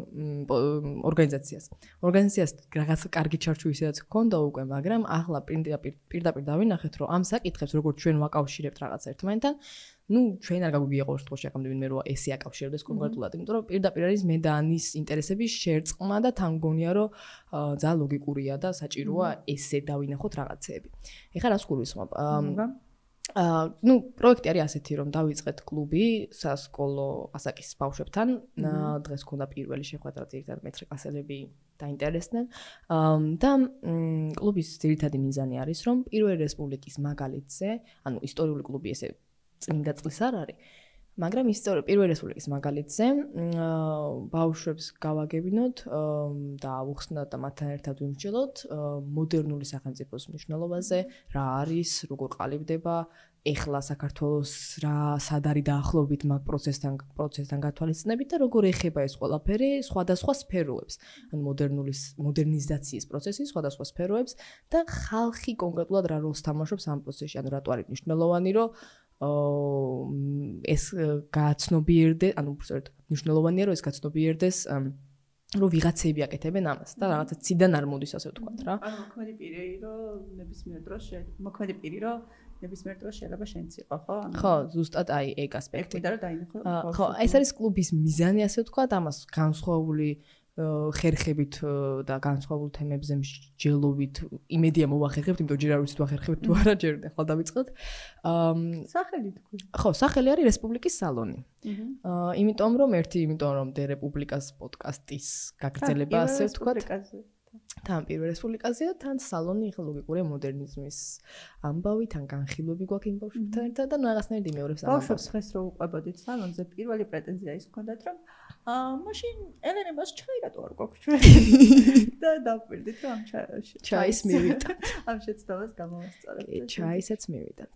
ორგანიზაციას. ორგანიზაციას რაღაც კარგი ჩარჩო ისედაც ჰქონდა უკვე, მაგრამ ახლა პირდაპირ დავინახეთ რომ ამ საკითხებს როგორც ჩვენ ვაკავშირებთ რაღაც ერთმანეთთან, ჩვენ არ გაგვიგია ყოველ შემთხვევაში აკამდევინ მე რომ ესე აკავშირდეს კონკრეტულად, იმიტომ რომ პირდაპირ არის მე და ანის ინტერესების შერწყმა და თან გონია რომ ძალიან ლოგიკურია და საჭიროა ესე დავინახოთ რაღაცეები. ეხლა რას გულისხმობ? პროექტი არის ასეთი რომ დავიწყეთ კლუბი სასკოლო ასაკის ბავშვებთან. დღეს ქონდა პირველი შეხვედრა, ძირითადად მე-9 კლასელები დაინტერესდნენ. და კლუბის ძირითადი მიზანი არის რომ პირველი რესპუბლიკის მაგალითზე, ანუ ისტორიული კლუბი ესე წმინდა წლის არ არის, მაგრამ პირველი რესპუბლიკის მაგალითზე ბავშვებს გავაგებინოთ და ავუხსნათ და მათთან ერთად ვიმსჯელოთ მოდერნული სახელმწიფოს მნიშვნელობაზე, რა არის, როგორ ყალიბდება, ეხლა საქართველოს რა სად არის დაახლოებით მაგ პროცესთან გათვალისწინებით და როგორ ეხება ეს ყველაფერი სხვადასხვა სფეროებს, ანუ მოდერნიზაციის პროცესის სხვადასხვა სფეროებს და ხალხი კონკრეტულად რა როლს თამაშობს ამ პროცესში, ანუ რატო არის მნიშვნელოვანი, რომ ეს გააცნობიერდეს, ანუ უბრალოდ მნიშვნელოვანია რომ ეს გააცნობიერდეს, რომ ვიღაცები აკეთებენ ამას და რაღაცა ციდან არ მოდის ასე ვთქვათ რა. ანუ მოქმედი პირი რომ ნებისმიერ დროს შეიძლება შენც იყო, ხო? ხო, ზუსტად აი ეგ ასპექტი. ეკიდა რომ დაინახო. ხო, ეს არის კლუბის მიზანი ასე ვთქვათ, ამას განსხვავებული ხერხებით და განსხვავებულ თემებზე მსჯელობით იმედია მოვახერხებთ, იმიტომ ჯერ არ ვიცით ვახერხებთ თუ არა, ჯერ ახლა დავიწყოთ. სახელი თქვი. ხო, სახელი არის რესპუბლიკის სალონი. იმიტომ რომ დე რესპუბლიკას პოდკასტის გაგრძელება ასე ვთქვათ. თან პირველ რესპუბლიკაზე და თან სალონი, ახლა ლოგიკურია მოდერნიზმის ამბავი, თან განხილვები გვაქვს იმ ბავშვებთან ერთად და რაღაცნაირად იმეორებს ამ ამბავს. ბავშვებს დღეს რო უყვებოდით სალონზე, პირველი პრეტენზია ის ჰქონდათ, რომ მაშინ ელენე მას ჩაი რატო არ გვაქვს ჩვენ? და დავპირდით რომ ამ ჩაის მივიდეთ. ამ შეცდომას გამოვასწორებთ. ჩაისაც მივიდეთ.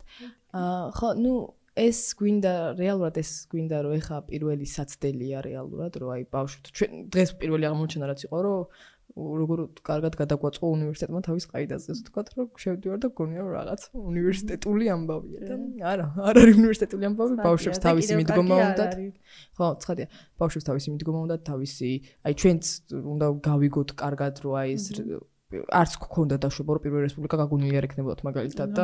ხო, ეს გვინდა რომ ეხა პირველი საცდელია რეალურად, რომ აი ბავშვებს ჩვენ დღეს პირველი აღმოჩენა რაც იყო, რომ როგორ კარგად გადაგვაწყო უნივერსიტეტმა თავის ყაიდაზე, ასე ვთქვათ, რომ შევდივარ და გონია რომ რაღაც უნივერსიტეტული ამბავია და არ არის უნივერსიტეტული ამბავი, ბავშვებს თავისი მიდგომა უნდათ. ხო, ცხადია, ბავშვებს თავისი მიდგომა უნდათ, თავისი, აი ჩვენც უნდა გავიგოთ კარგად, რომ აი ეს არც გქონდა დაშვება რომ პირველი რესპუბლიკა გაგონილი არ ექნებოდათ მაგალითად და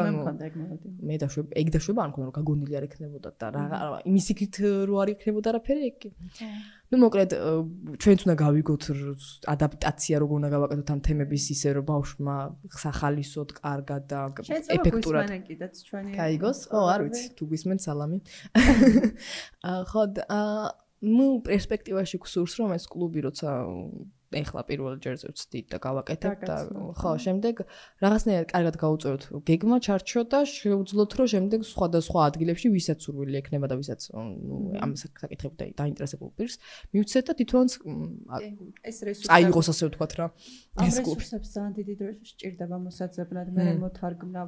მე დაშვება არ მქონდა რომ გაგონილი არ ექნებოდათ და რა იმის იქით რო არ ექნებოდა არაფერი ეგ. მოკლედ ჩვენც უნდა გავიგოთ ადაპტაცია როგორ უნდა გავაკეთოთ ამ თემების ისე რომ ბავშვმა სახალისოდ კარგად და ეფექტურად გაიგოს. ხო, არ ვიცი, თუ გვისმენთ სალამი. ხო, პერსპექტივაში გსურს რომ ეს კლუბი როცა ეხლა პირველ ჯერზე ვცდით და გავაკეთებ და ხო, შემდეგ რაღაცნაირად კარგად გავუწევთ გეგმა ჩარჩო და შევძლოთ რომ შემდეგ სხვადასხვა ადგილებში ვისაც სურვილი ექნება და ვისაც ამ საკითხებით დაინტერესებულ პირს მივცეთ და თვითონაც ეს რესურსი აიღოს ასე ვთქვათ რა. ეს რესურსებს ძალიან დიდი დრო სჭირდება მოსაძებნად, მე მოთარგმნა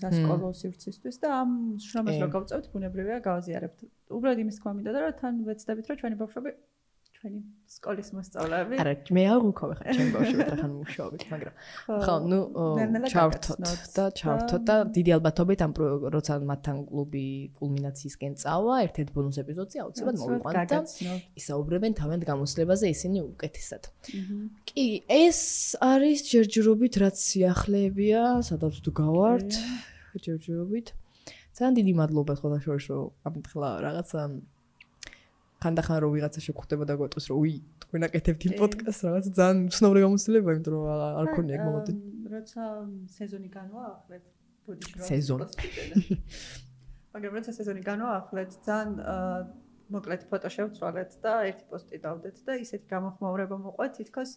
სასკოლო სივრცისთვის და ამ შრომას რო გავწევთ, ბუნებრივია გავაზიარებთ. უბრალოდ იმის თქმა მინდოდა რომ თან ვეცდებით რომ ჩვენი ბავშვები ჩვენი სკოლის მოსწავლეები. არა, მე არ ვუქოვე ხა ჩემ ბავშვებს ახლა მუშაობთ, მაგრამ ხო, ჩავთოთ და დიდი ალბათობით ამ როცა მათთან კლუბი კულმინაციისკენ წავა, ერთ-ერთ ბონუს ეპიზოდზე აუცილებლად მოვიყვანთ და ისაუბრებენ თავიანთ გამოცდილებაზე ისინი უკეთესად. კი, ეს არის ჯერჯერობით რაც სიახლეებია, სადაც თუ გავართ, ჯერჯერობით. ძალიან დიდი მადლობა ხოლმე შორის რომ ამითხლა რაღაცა ხანდახან რო ვიღაცა შეგხვდება და გვეტყვის რომ უი თქვენ აკეთებთ იმ პოდკასტს რაღაც ძალიან უცნობი გამოცდილება, იმიტომ რომ არ ქონია ეგ მომენტი. როცა სეზონი განვაახლეთ, ბოდიში რა. სეზონი. მაგრამ როცა სეზონი განვაახლეთ, ძალიან მოკლედ ფოტო შევცვალეთ და ერთი პოსტი დავდეთ და ისეთი გამოხმაურება მოყვეთ, თითქოს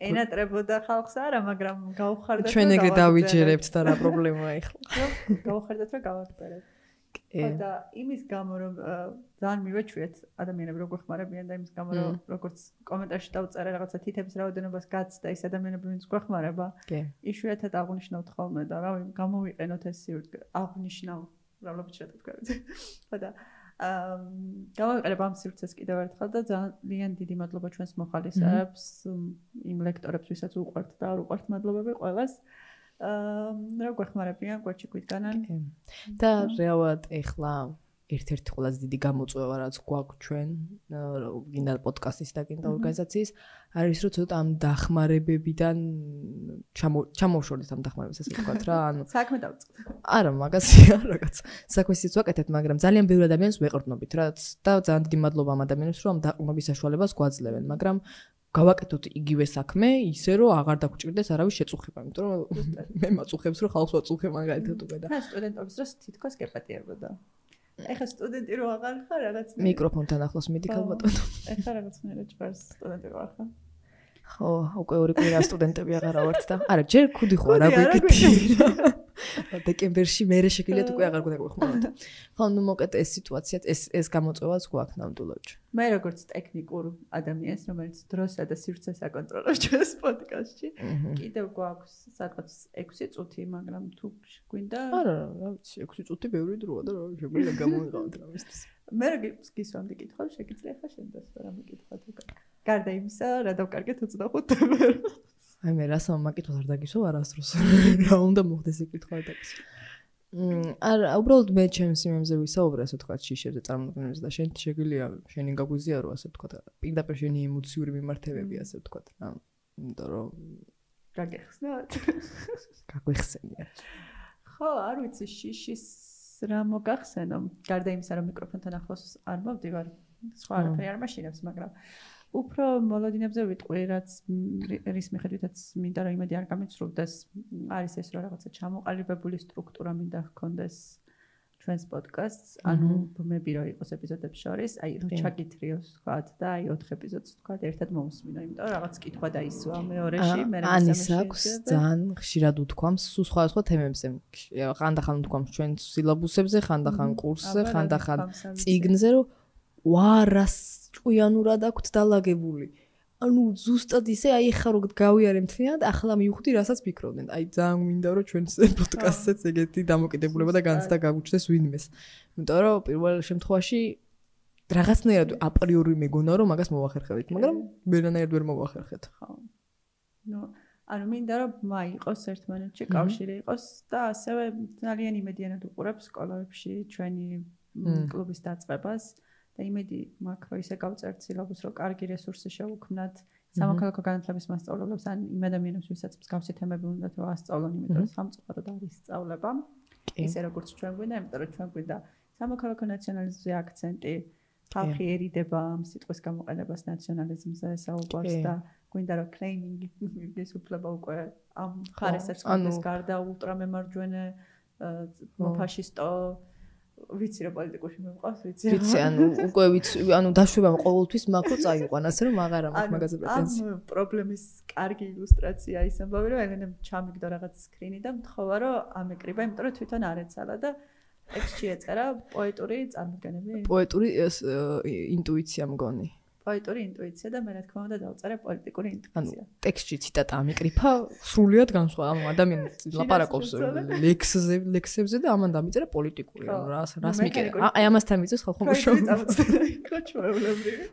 ენატრებოდა ხალხს არა, მაგრამ გავხარდათ. ჩვენ ეგრე დავიჯერებთ და რა პრობლემაა ახლა. გავხარდათ რომ გავაგრძელებთ. და იმის გამო რომ ძალიან მივეჩვიეთ ადამიანები როგორ ხმარებიან და იმის გამო რომ როგორც კომენტარში დავწერე რაღაცა თითების რაოდენობას გაცდა ის ადამიანები ვინც გვეხმარება იშვიათად აღნიშნავთ ხოლმე და რავი გამოვიყენოთ ეს აღნიშნავ ავლაბით შეტყვით. ხო და დავაყენებ ამ სივრცეს კიდევ ერთხელ და ძალიან დიდი მადლობა ჩვენს მოხალისეებს, იმ ლექტორებს, ვისაც უყვართ და არ უყვართ, მადლობები ყველას. რა გვეხმარებიან, გვაჩიგვიდგანან. და რეალურად ეხლა ერთ-ერთი ყველაზე დიდი გამოწვევა რაც გვაქვს ჩვენ, გინდა პოდკასტის და გინდა ორგანიზაციის, არის რომ ცოტა ამ დახმარებებიდან ჩამოვშორდეთ ამ დახმარებას, ასე ვთქვათ რა, ანუ საქმე დავწყდეთ. არა, მაგასია, რაღაც საქმესაც ვაკეთებთ, მაგრამ ძალიან ბევრი ადამიანს ვეყრდნობით რა და ძალიან დიდი მადლობა ამ ადამიანებს, რომ ამ დაყრდნობის საშუალებას გვაძლევენ, მაგრამ გავაკეთოთ იგივე საქმე, ისე რომ აღარ დაგვჭირდეს არავის შეწუხება, იმიტომ რომ მე მაწუხებს რომ ხალხს ვაწუხებ მაგალითად უკვე და სტუდენტობის დროს თითქოს გეპატიებოდა. ეხლა სტუდენტი რო აღარ ხარ რაღაც მიკროფონთან ახლოს მიდი ქალბატონო. ეხლა რაღაცნაირად ჭარს სტუდენტი ვარ ხა. ხო, უკვე ორი კვირა სტუდენტები აღარა ვართ და არა, ჯერ ქუდი ხო არა გვიგეთი. დეკემბერში მერე შეგიძლიათ უკვე აღარ გვეხმაროთ. ხო, ნუ მოკეთ ეს სიტუაცია, ეს გამოწვევაც გვაქვს ნამდვილად. მე როგორც ტექნიკურ ადამიანს, რომელიც დროსა და სივრცეს აკონტროლებს ჩვენს პოდკასტში, კიდევ გვაქვს სადღაც 6 წუთი, მაგრამ თუ გვინდა არა, რა ვიცი, 6 წუთი ბევრი დროა და რა შეგვიძლია გამოვიყავთ რამისთვის. მე რა გისვამდი კითხავს, შეგიძლია ხა შენ დასვა რა მეკითხოთ უკვე. გარდა იმისა, რა დავკარგეთ 25 თემს. აი მე რასამა მაკითხავს არ დაგისვა არასდროს. რა უნდა მოხდეს ეს კითხვა დაგისვა. არა, უბრალოდ მე ჩემს იმებზე ვისაუბრე, ასე ვთქვათ, შიშებზე წარმოქმნებს და შენ შეგვიძლია შენი გაგვიზიარო, ასე ვთქვათ, პირდაპირ შენი ემოციური მიმართებები, ასე ვთქვათ, რა. იმიტომ რომ გაგეხსნათ. გაგვეხსენია. ხო, არ ვიცი, შიშის რა მოგახსენო. გარდა იმისა, რომ მიკროფონთან ახლოს არ მოვდივარ, სხვა არაფერი არ მაშინებს, მაგრამ უფრო მოლოდინებზე ვიტყვი, რაც რის მიხედვითაც მინდა რომ იმედი არ გამიცრუდეს, არის ეს რომ რაღაცა ჩამოყალიბებული სტრუქტურა მინდა ჰქონდეს ჩვენს პოდკასტს, ანუ ბმები რო იყოს ეპიზოდებს შორის, აი რო ჩაკითრიოს ვთქვათ და აი 4 ეპიზოდს ვთქვათ, ერთად მომსმინო, იმიტომ რომ რაღაც კითხვა დაისვა მეორეში, მე რა ანის აქვს ძალიან ხშირად უთქვამს სულ სხვადასხვა თემებზე. ხანდახან უთქვამს ჩვენ სილაბუსებზე, ხანდახან კურსზე, ხანდახან წიგნზე, რომ ვარას ჭკვიანურად აქვთ დალაგებული. ანუ ზუსტად ისე აი ხა რო გავიარე მთლიანად, ახლა მივხვდი, რასაც ფიქრობდნენ. აი ძალიან მინდა რომ ჩვენს პოდკასტსაც ეგეთი დამოკიდებულება და განცდა გაგვჩნდეს ვინმეს. იმიტომ რომ პირველ შემთხვევაში რაღაცნაირად აპრიორი მეგონა რომ მაგას მოვახერხებთ, მაგრამ ვერანაირად ვერ მოვახერხეთ. ხო. ნუ ანუ მინდა რომ მაიყოს ერთმანეთში კავშირი იყოს და ასევე ძალიან იმედიანად უყურებს სკოლებში ჩვენი კლუბის დაწყებას. და იმედი მაქვს რომ ისე გავწერთ სილაბუსს, რომ კარგი რესურსი შევუქმნათ სამოქალაქო განათლების მასწავლებლებს ან იმ ადამიანებს, ვისაც მსგავსი თემები უნდათ რომ ასწავლონ, იმიტომ რომ სამწუხაროდ არის სწავლება. ისე როგორც ჩვენ გვინდა, იმიტომ რომ ჩვენ გვინდა სამოქალაქო ნაციონალიზმზე აქცენტი, ხალხიერიდება ამ სიტყვის გამოყენებას ნაციონალიზმზე საუბარს და გვინდა რომ კლეიმინგის უფლება უკვე ამ ხარესაც გქონდეს გარდა ულტრამემარჯვენე ფაშისტო ვიცი რა პოლიტიკაში მიყავს, ვიცი. ვიცი, ანუ უკვე ვიცი, ანუ დაშვება ყოველთვის მაქრო წაიყვან, ასე რომ აღარა მაქვს მაგაზე პრეტენზია. ამ პრობლემის კარგი ილუსტრაცია ის ამბავი, რომ ელენემ ჩამიგდო რაღაც სკრინი და მთხოვა, რომ ამეკრიბა, იმიტომ რომ თვითონ არ ეცალა და ტექსტში ეწერა პოეტური წარმოდგენები. პოეტური ინტუიცია მგონი. პოეტური ინტუიცია და მე რა თქმა უნდა დავწერე პოლიტიკური ინტუიცია. ანუ ტექსტში ციტატა ამიკრიფა სრულიად განსხვავდა. ანუ ადამიანი ლაპარაკობს ლექსებზე და ამან დამიწერა პოლიტიკური. ანუ რას მიკერა? აი ამასთან მიწევს ხალხო მუშაობა. ხო, ჩვეულებრივი.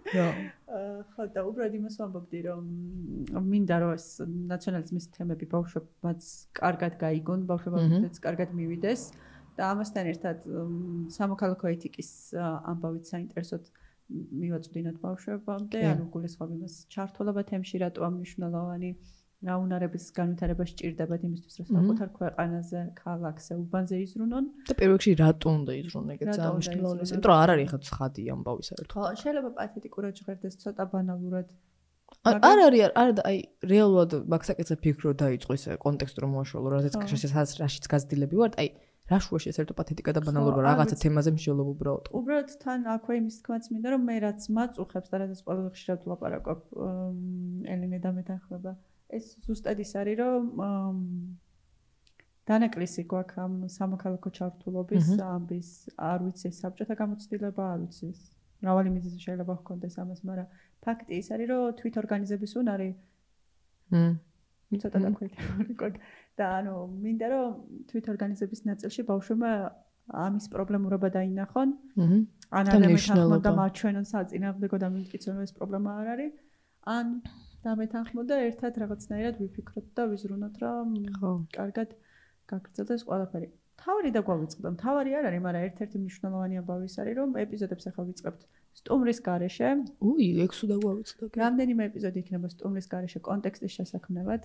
ხო, და უბრალოდ იმას ვამბობდი, რომ მინდა რომ ეს ნაციონალიზმის თემები ბავშვებმაც კარგად გაიგონ, ბავშვებმაც კარგად მივიდეს და ამასთან ერთად სამოქალაქო ეთიკის ამბავით საინტერესოდ მივაწვდინოთ ბავშვებამდე, ანუ გულისხმობ იმას ჩართულობა თემში რატო მნიშვნელოვანი, რა უნარების განვითარება სჭირდებათ იმისთვის, რომ საკუთარ ქვეყანაზე, ქალაქზე, უბანზე იზრუნონ. და პირველ რიგში რატო უნდა იზრუნონ, ეგეც ძალიან მნიშვნელოვანია. იმიტომ რომ არ არის ხა ცხადი ამბავი საერთოდ. ხო, შეიძლება პათეტიკურად ჟღერდეს, ცოტა ბანალურად. არ არის, არა და აი რეალურად მაგსაკეთზე ფიქრო დაიწყო ეს კონტექსტი რომ მოაშველო, რაშიც გაზრდილები ვართ, აი რა შუაში ეს ერთო პათეტიკა და ბანალობა რაღაცა თემაზე მსჯელობ უბრალოდ. უბრალოდ თან აქვე იმის თქმაც მინდა რომ მე რაც მაწუხებს და რაც ყველაზე ხშირად ვლაპარაკობ ელენე და მეთანხმება. ეს ზუსტად ის არის რომ დანაკლისი გვაქვს ამ სამოქალაქო ჩართულობის ამბის, არ ვიცი საბჭოთა გამოცდილება, არ ვიცი მრავალი მიზეზი შეიძლება ჰქონდეს ამას, მაგრამ ფაქტი ის არის რომ თვითორგანიზების უნარი ცოტა დაქვეითებული გვაქვს. და ანუ მინდა რომ თვითორგანიზების ნაწილში ბავშვებმა ამის პრობლემურობა დაინახონ. ან და მნიშვნელობა. და მაჩვენონ საწინააღმდეგო და მივკითხონ ეს პრობლემა არ არის. ან დამეთანხმო და ერთად რაღაცნაირად ვიფიქროთ და ვიზრუნოთ, რომ კარგად გაგრძელდეს ყველაფერი. თავი და გვავიწყდა. თავი არ არის, მაგრამ ერთ-ერთი მნიშვნელოვანი ამბავი ის არის, რომ ეპიზოდებს ახლა ვიწყებთ სტუმრის გარეშე. ექვსი და გვავიწყდა. რამდენიმე ეპიზოდი იქნება სტუმრის გარეშე კონტექსტის შესაქმნელად.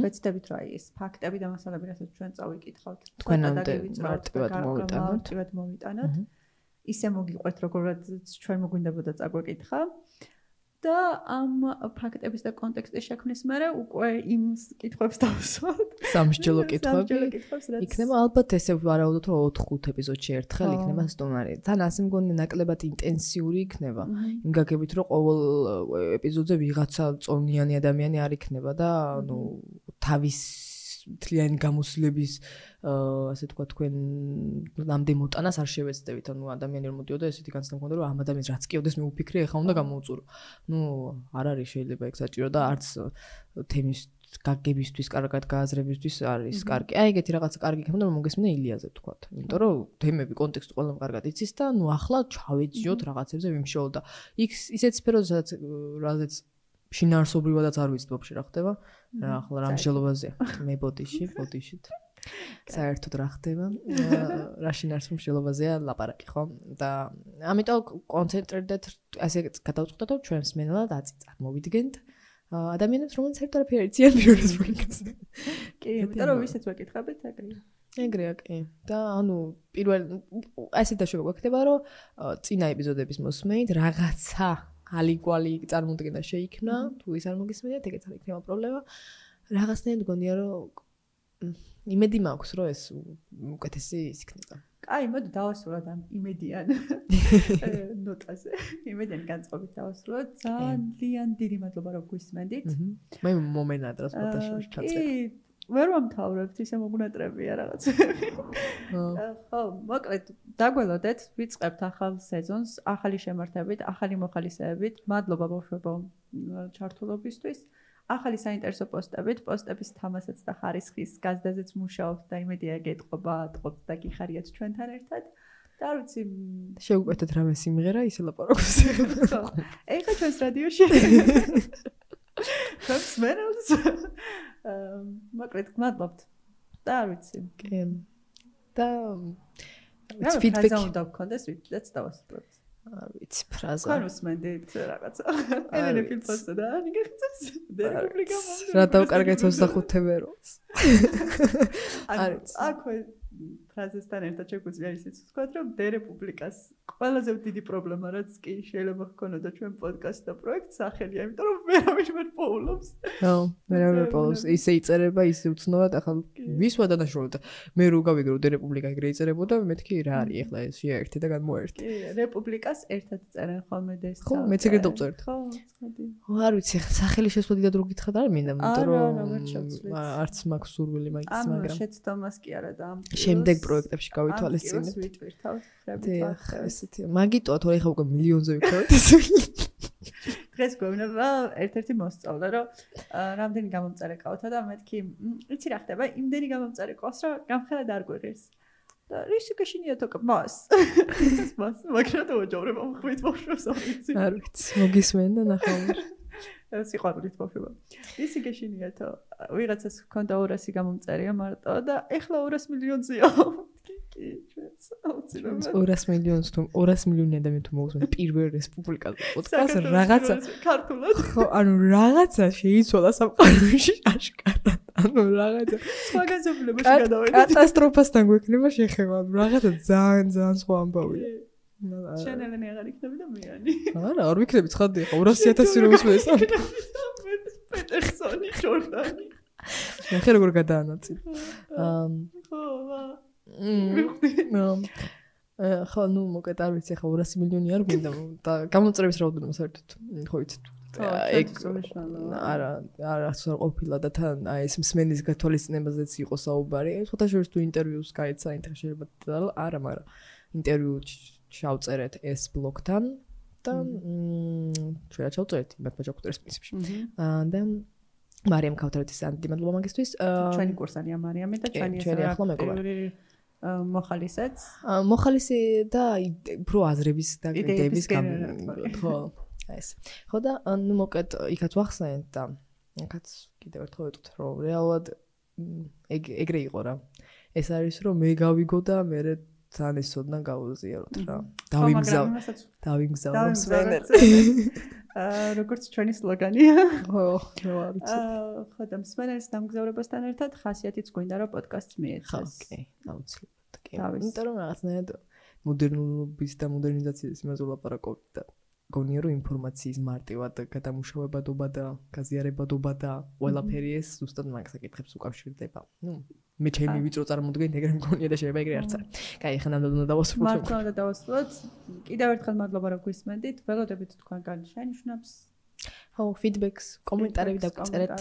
ვეცდებით რა ის ფაქტები და მასალები, რასაც ჩვენ წავიკითხავთ. თქვენამდე მარტივად მოვიტანოთ. ისე მოგიყვეთ, როგორად ჩვენ მოგვინდებოდა წაგვეკითხა. და ამ ფაქტების და კონტექსტის შექმნის მერე უკვე იმ კითხვებს დავსვათ. სამსჯელო კითხვები. იქნება ალბათ ესე ვარაუდოთ, რომ 4-5 ეპიზოდში ერთხელ იქნება სტუმარი. თან ასე მგონი ნაკლებად ინტენსიური იქნება. იმ გაგებით, რომ ყოველ ეპიზოდზე ვიღაცა წონიანი ადამიანი არ იქნება და ანუ თავის თლიანი გამოსვლების ასე თქვა თქვენ ნამდვილ მოტანას არ შევეცდებით. ანუ ადამიანი რომ მოდიოდა ესეთი განცდა მქონდა რომ ამ ადამიანს რაც კიდევდეს მე ვფიქრე, ეხლა უნდა გამოუწურო. არ არის შეიძლება ეგ საჭირო და არც თემის გაგებისთვის, კარგად გააზრებისთვის არის კარგი. ეგეთი რაღაცა კარგი იქნება რომ მოგესმინა ილიაზე თქვა. იმიტომ რომ თემები კონტექსტი ყველამ კარგად იცის და ახლა ჩავეძიოთ რაღაცებზე ვიმშეულ და იქ ისეთ სფეროზე რაზეც შინაარსობრივადაც არ ვიცით ვაფშე რა ხდება. ახლა რა მსჯელობაზეა. მე ბოდიშით. საერთოდ რა ხდება? რა შინაარსობრივ მსჯელობაზეა ლაპარაკი, ხო? და ამიტომ კონცენტრირდეთ, ასე გადავწყვეტეთ, რომ ჩვენ მსმენელად წარმოვიდგენთ ადამიანებს, რომლებიც საერთოდ არაფერი არიციან ბიურესპუბლიკაზე. კი, იმიტომ რომ ვისაც ვეკითხებით, ეგრეა, კი. და ანუ პირველ ასე დაშვება გვექნება, რომ წინა ეპიზოდების მოსმენით რაღაცა ალიგვალი წარმოდგენა შეიქმნა, თუ ის არ მოგისმენიათ, ეგეც არ იქნება პრობლემა. რაღაცნაირად გონია, რომ იმედი მაქვს, რომ ეს უკეთესი ის იქნება. აი, მოდი დავასრულოთ ამ იმედიან ნოტაზე. იმედიან განწყობით დავასრულოთ. ძალიან დიდი მადლობა, რომ გვისმენდით. მე მომენადროს ფოტოშოპში ჩაწერე. კი, ვერ ვამთავრებთ, ისე მოგუნატრებია რაღაცები. ხო, მოკლედ, დაგველოდეთ, ვიწყებთ ახალ სეზონს, ახალი შემართებით, ახალი მოხალისეებით. მადლობა ბავშვებო ჩართულობისთვის. ახალი საინტერესო პოსტების თამასაც და ხარისხის გაზდაზეც მუშაობთ და იმედია გეტყობა, ატყობთ და გიხარიათ ჩვენთან ერთად. და არ ვიცი, შევუკვეთეთ რამე სიმღერა, ისე ლაპარაკობს. ხო. ეხლა ჩვენს რადიოში. ჩვენს მეროს. მოკლედ, მადლობთ. და არ ვიცი. კი. და ფიდბექი უნდა გქონდეს, ვიდაც დავასრულებთ. არ ვიცი, ფრაზა. ხარ უსმენდით რაღაცა. ელენე ფილმსა და ნიგახცეს. რესპუბლიკა მომდევნო. რა დავკარგეთ 25 ვეროს. აქვე ფრაზესთან ერთად შეგვიძლია ისიც ვთქვათ, რომ რესპუბლიკას ყველაზე დიდი პრობლემა რაც კი შეიძლება ჰქონოდა ჩვენ პოდკასტ და პროექტ სახელია, იმიტომ რომ ვერავინ ვერ პოულობს. ხო, ვერავინ პოულობს. ისე იწერება, ისე უცნობად, ახლა ვისვა დანაშროლდა. მე რო გავიგრო რესპუბლიკა ეგრე იწერებოდა, მეთქი რა არის ახლა ეს შეერთი და გამოერთი. კი, რესპუბლიკას ერთად წერენ ხოლმე და ეს. ხო, მეც ეგრე დავწერთ. ხო, ცოდი. არ ვიცი, სახელი შესვლა დიდად რო გითხრათ არ მინდა, იმიტომ რომ არც მაქვს სურვილი მაგის, მაგრამ შეცდომას კი არა და ამ შემდეგ პროექტებში გავითვალისწინებთ. ვიტვირთავთ, ხრებით. ესეთი მაგიტოა თორე ხა უკვე მილიონზე ვიქნებთ ეს. დღეს გვეუბნება ერთ-ერთი მოსწავლე, რომ რამდენი გამომწარე ყავთა და მეთქი, იცი რა ხდება, იმდენი გამომწარე ყავს, რომ გამხელა არ გვერეს. და რისი გაშინია თოკ მას. მას მაგრამ დავაჯავრება მხვით ბავშვებს არ ვიცი. არ ვიცი, მოგისმენდა ნახავარ. სიყვარულით ბავშვება. რისი გაშინია თო, ვიღაცას ჰქონდა 200 გამომწერია მარტო და ეხლა 200 მილიონზეა. კი, ჩვენც აუცილებლად 200 მილიონს თუ 200 მილიონი ადამიანი თუ მოусმენ პირველ რესპუბლიკაზე პოდკასტს რაღაცა ქართულად ხო ანუ რაღაცა შეიცვალა სამყაროში აშკარად ანუ რაღაცა სხვაგანზომილებაში გადავედი კატასტროფასთან გვექნება შეხება რაღაცა ძალიან სხვა ამბავია შენელენი აღარ იქნები და მეანი არა არ ვიქნები ცხადია 200,000 რო ისმენს პეტერსონი ჯორდანი ნახე როგორ გადაანაწილე ხო ხო ნუ მოკეთ არ ვიცი ხა 200 მილიონი არ გვინდა და გამოწრების რაოდენობა საერთოდ ხო იცით ეგ არა ყოფილა და თან აი ეს მსმენის გათვალისწინებაზეც იყო საუბარი ხოთა შორის თუ ინტერვიუს გაიცა ინტერვიუ შეიძლება არა მაგრამ ინტერვიუ ჩავწერეთ ეს ბლოგთან და ჩვენ ჩავწერეთ იმათ ბაჭაკუტერის პრინციპში და მარიამ ქავთარეთის ანდი მადლობა მაგისთვის ჩვენი კურსანია მარიამი და ჩვენი ახლა მეგობარი მოხალისეც. მოხალისი და უფრო აზრების და იდეების იდეების ხო ეს. ხო და ნუ მოკეთ იქაც ვახსენეთ და იქაც კიდევ ერთხელ ვიტყვით რომ რეალურად ეგრე იყო რა. ეს არის რომ მე გავიგო და მე თან ესოდნა გავუზიაროთ რა. დავიმგზავრებ სვენელს. როგორც ჩვენი სლოგანია. ხო, რა ვიცი. ხო და სვენელის დამგზავრებასთან ერთად ხასიათიც გვინდა რომ პოდკასტს მიეცეს. ხო, კი, აუცილებლად. კი. იმიტომ რომ რაღაცნაირად მოდერნობის და მოდერნიზაციის იმაზე ვლაპარაკობთ და გონია რომ ინფორმაციის მარტივად გადამუშავებადობა და გაზიარებადობა და ყველაფერი ეს ზუსტად მაგ საკითხებს უკავშირდება. ნუ მე ჩემი ვიწრო წარმოდგენით ეგრე მგონია და შეიძლება ეგრე არც არის. კაი, ახლა ნამდვილად უნდა დავასრულოთ. მართლა უნდა დავასრულოთ. კიდევ ერთხელ მადლობა რომ გვისმენდით. ველოდებით თქვენგან შენიშვნებს. ხო, ფიდბექს, კომენტარები დაგვიწერეთ.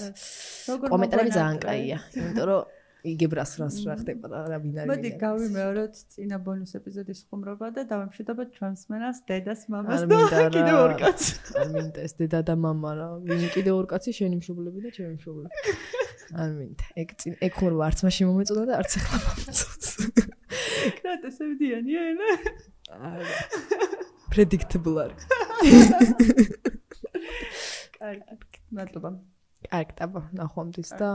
კომენტარები ძალიან კაია, იმიტომ რომ იგებრას რას რა ხდება და რა ვინ არის. მოდი გავიმეოროთ წინა ბონუს ეპიზოდის ხუმრობა და დავემშვიდობოთ ჩვენს მენას, დედას, მამას და კიდევ ორ კაცს. არ მინდა ეს დედა და მამა რა. ვინ კიდევ ორ კაცი შენი მშობლები და ჩემი მშობლები. არ მინდა. ეგ ხუმრობა არც მაშინ მომეწონა და არც ახლა მომეწონს. კრატესებდიანია ენა. predictable არის. კარგი, მადლობა. კარგი, აბა, ნახვამდის და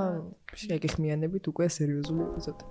შეგეხმიანებით უკვე სერიოზული ეპიზოდი.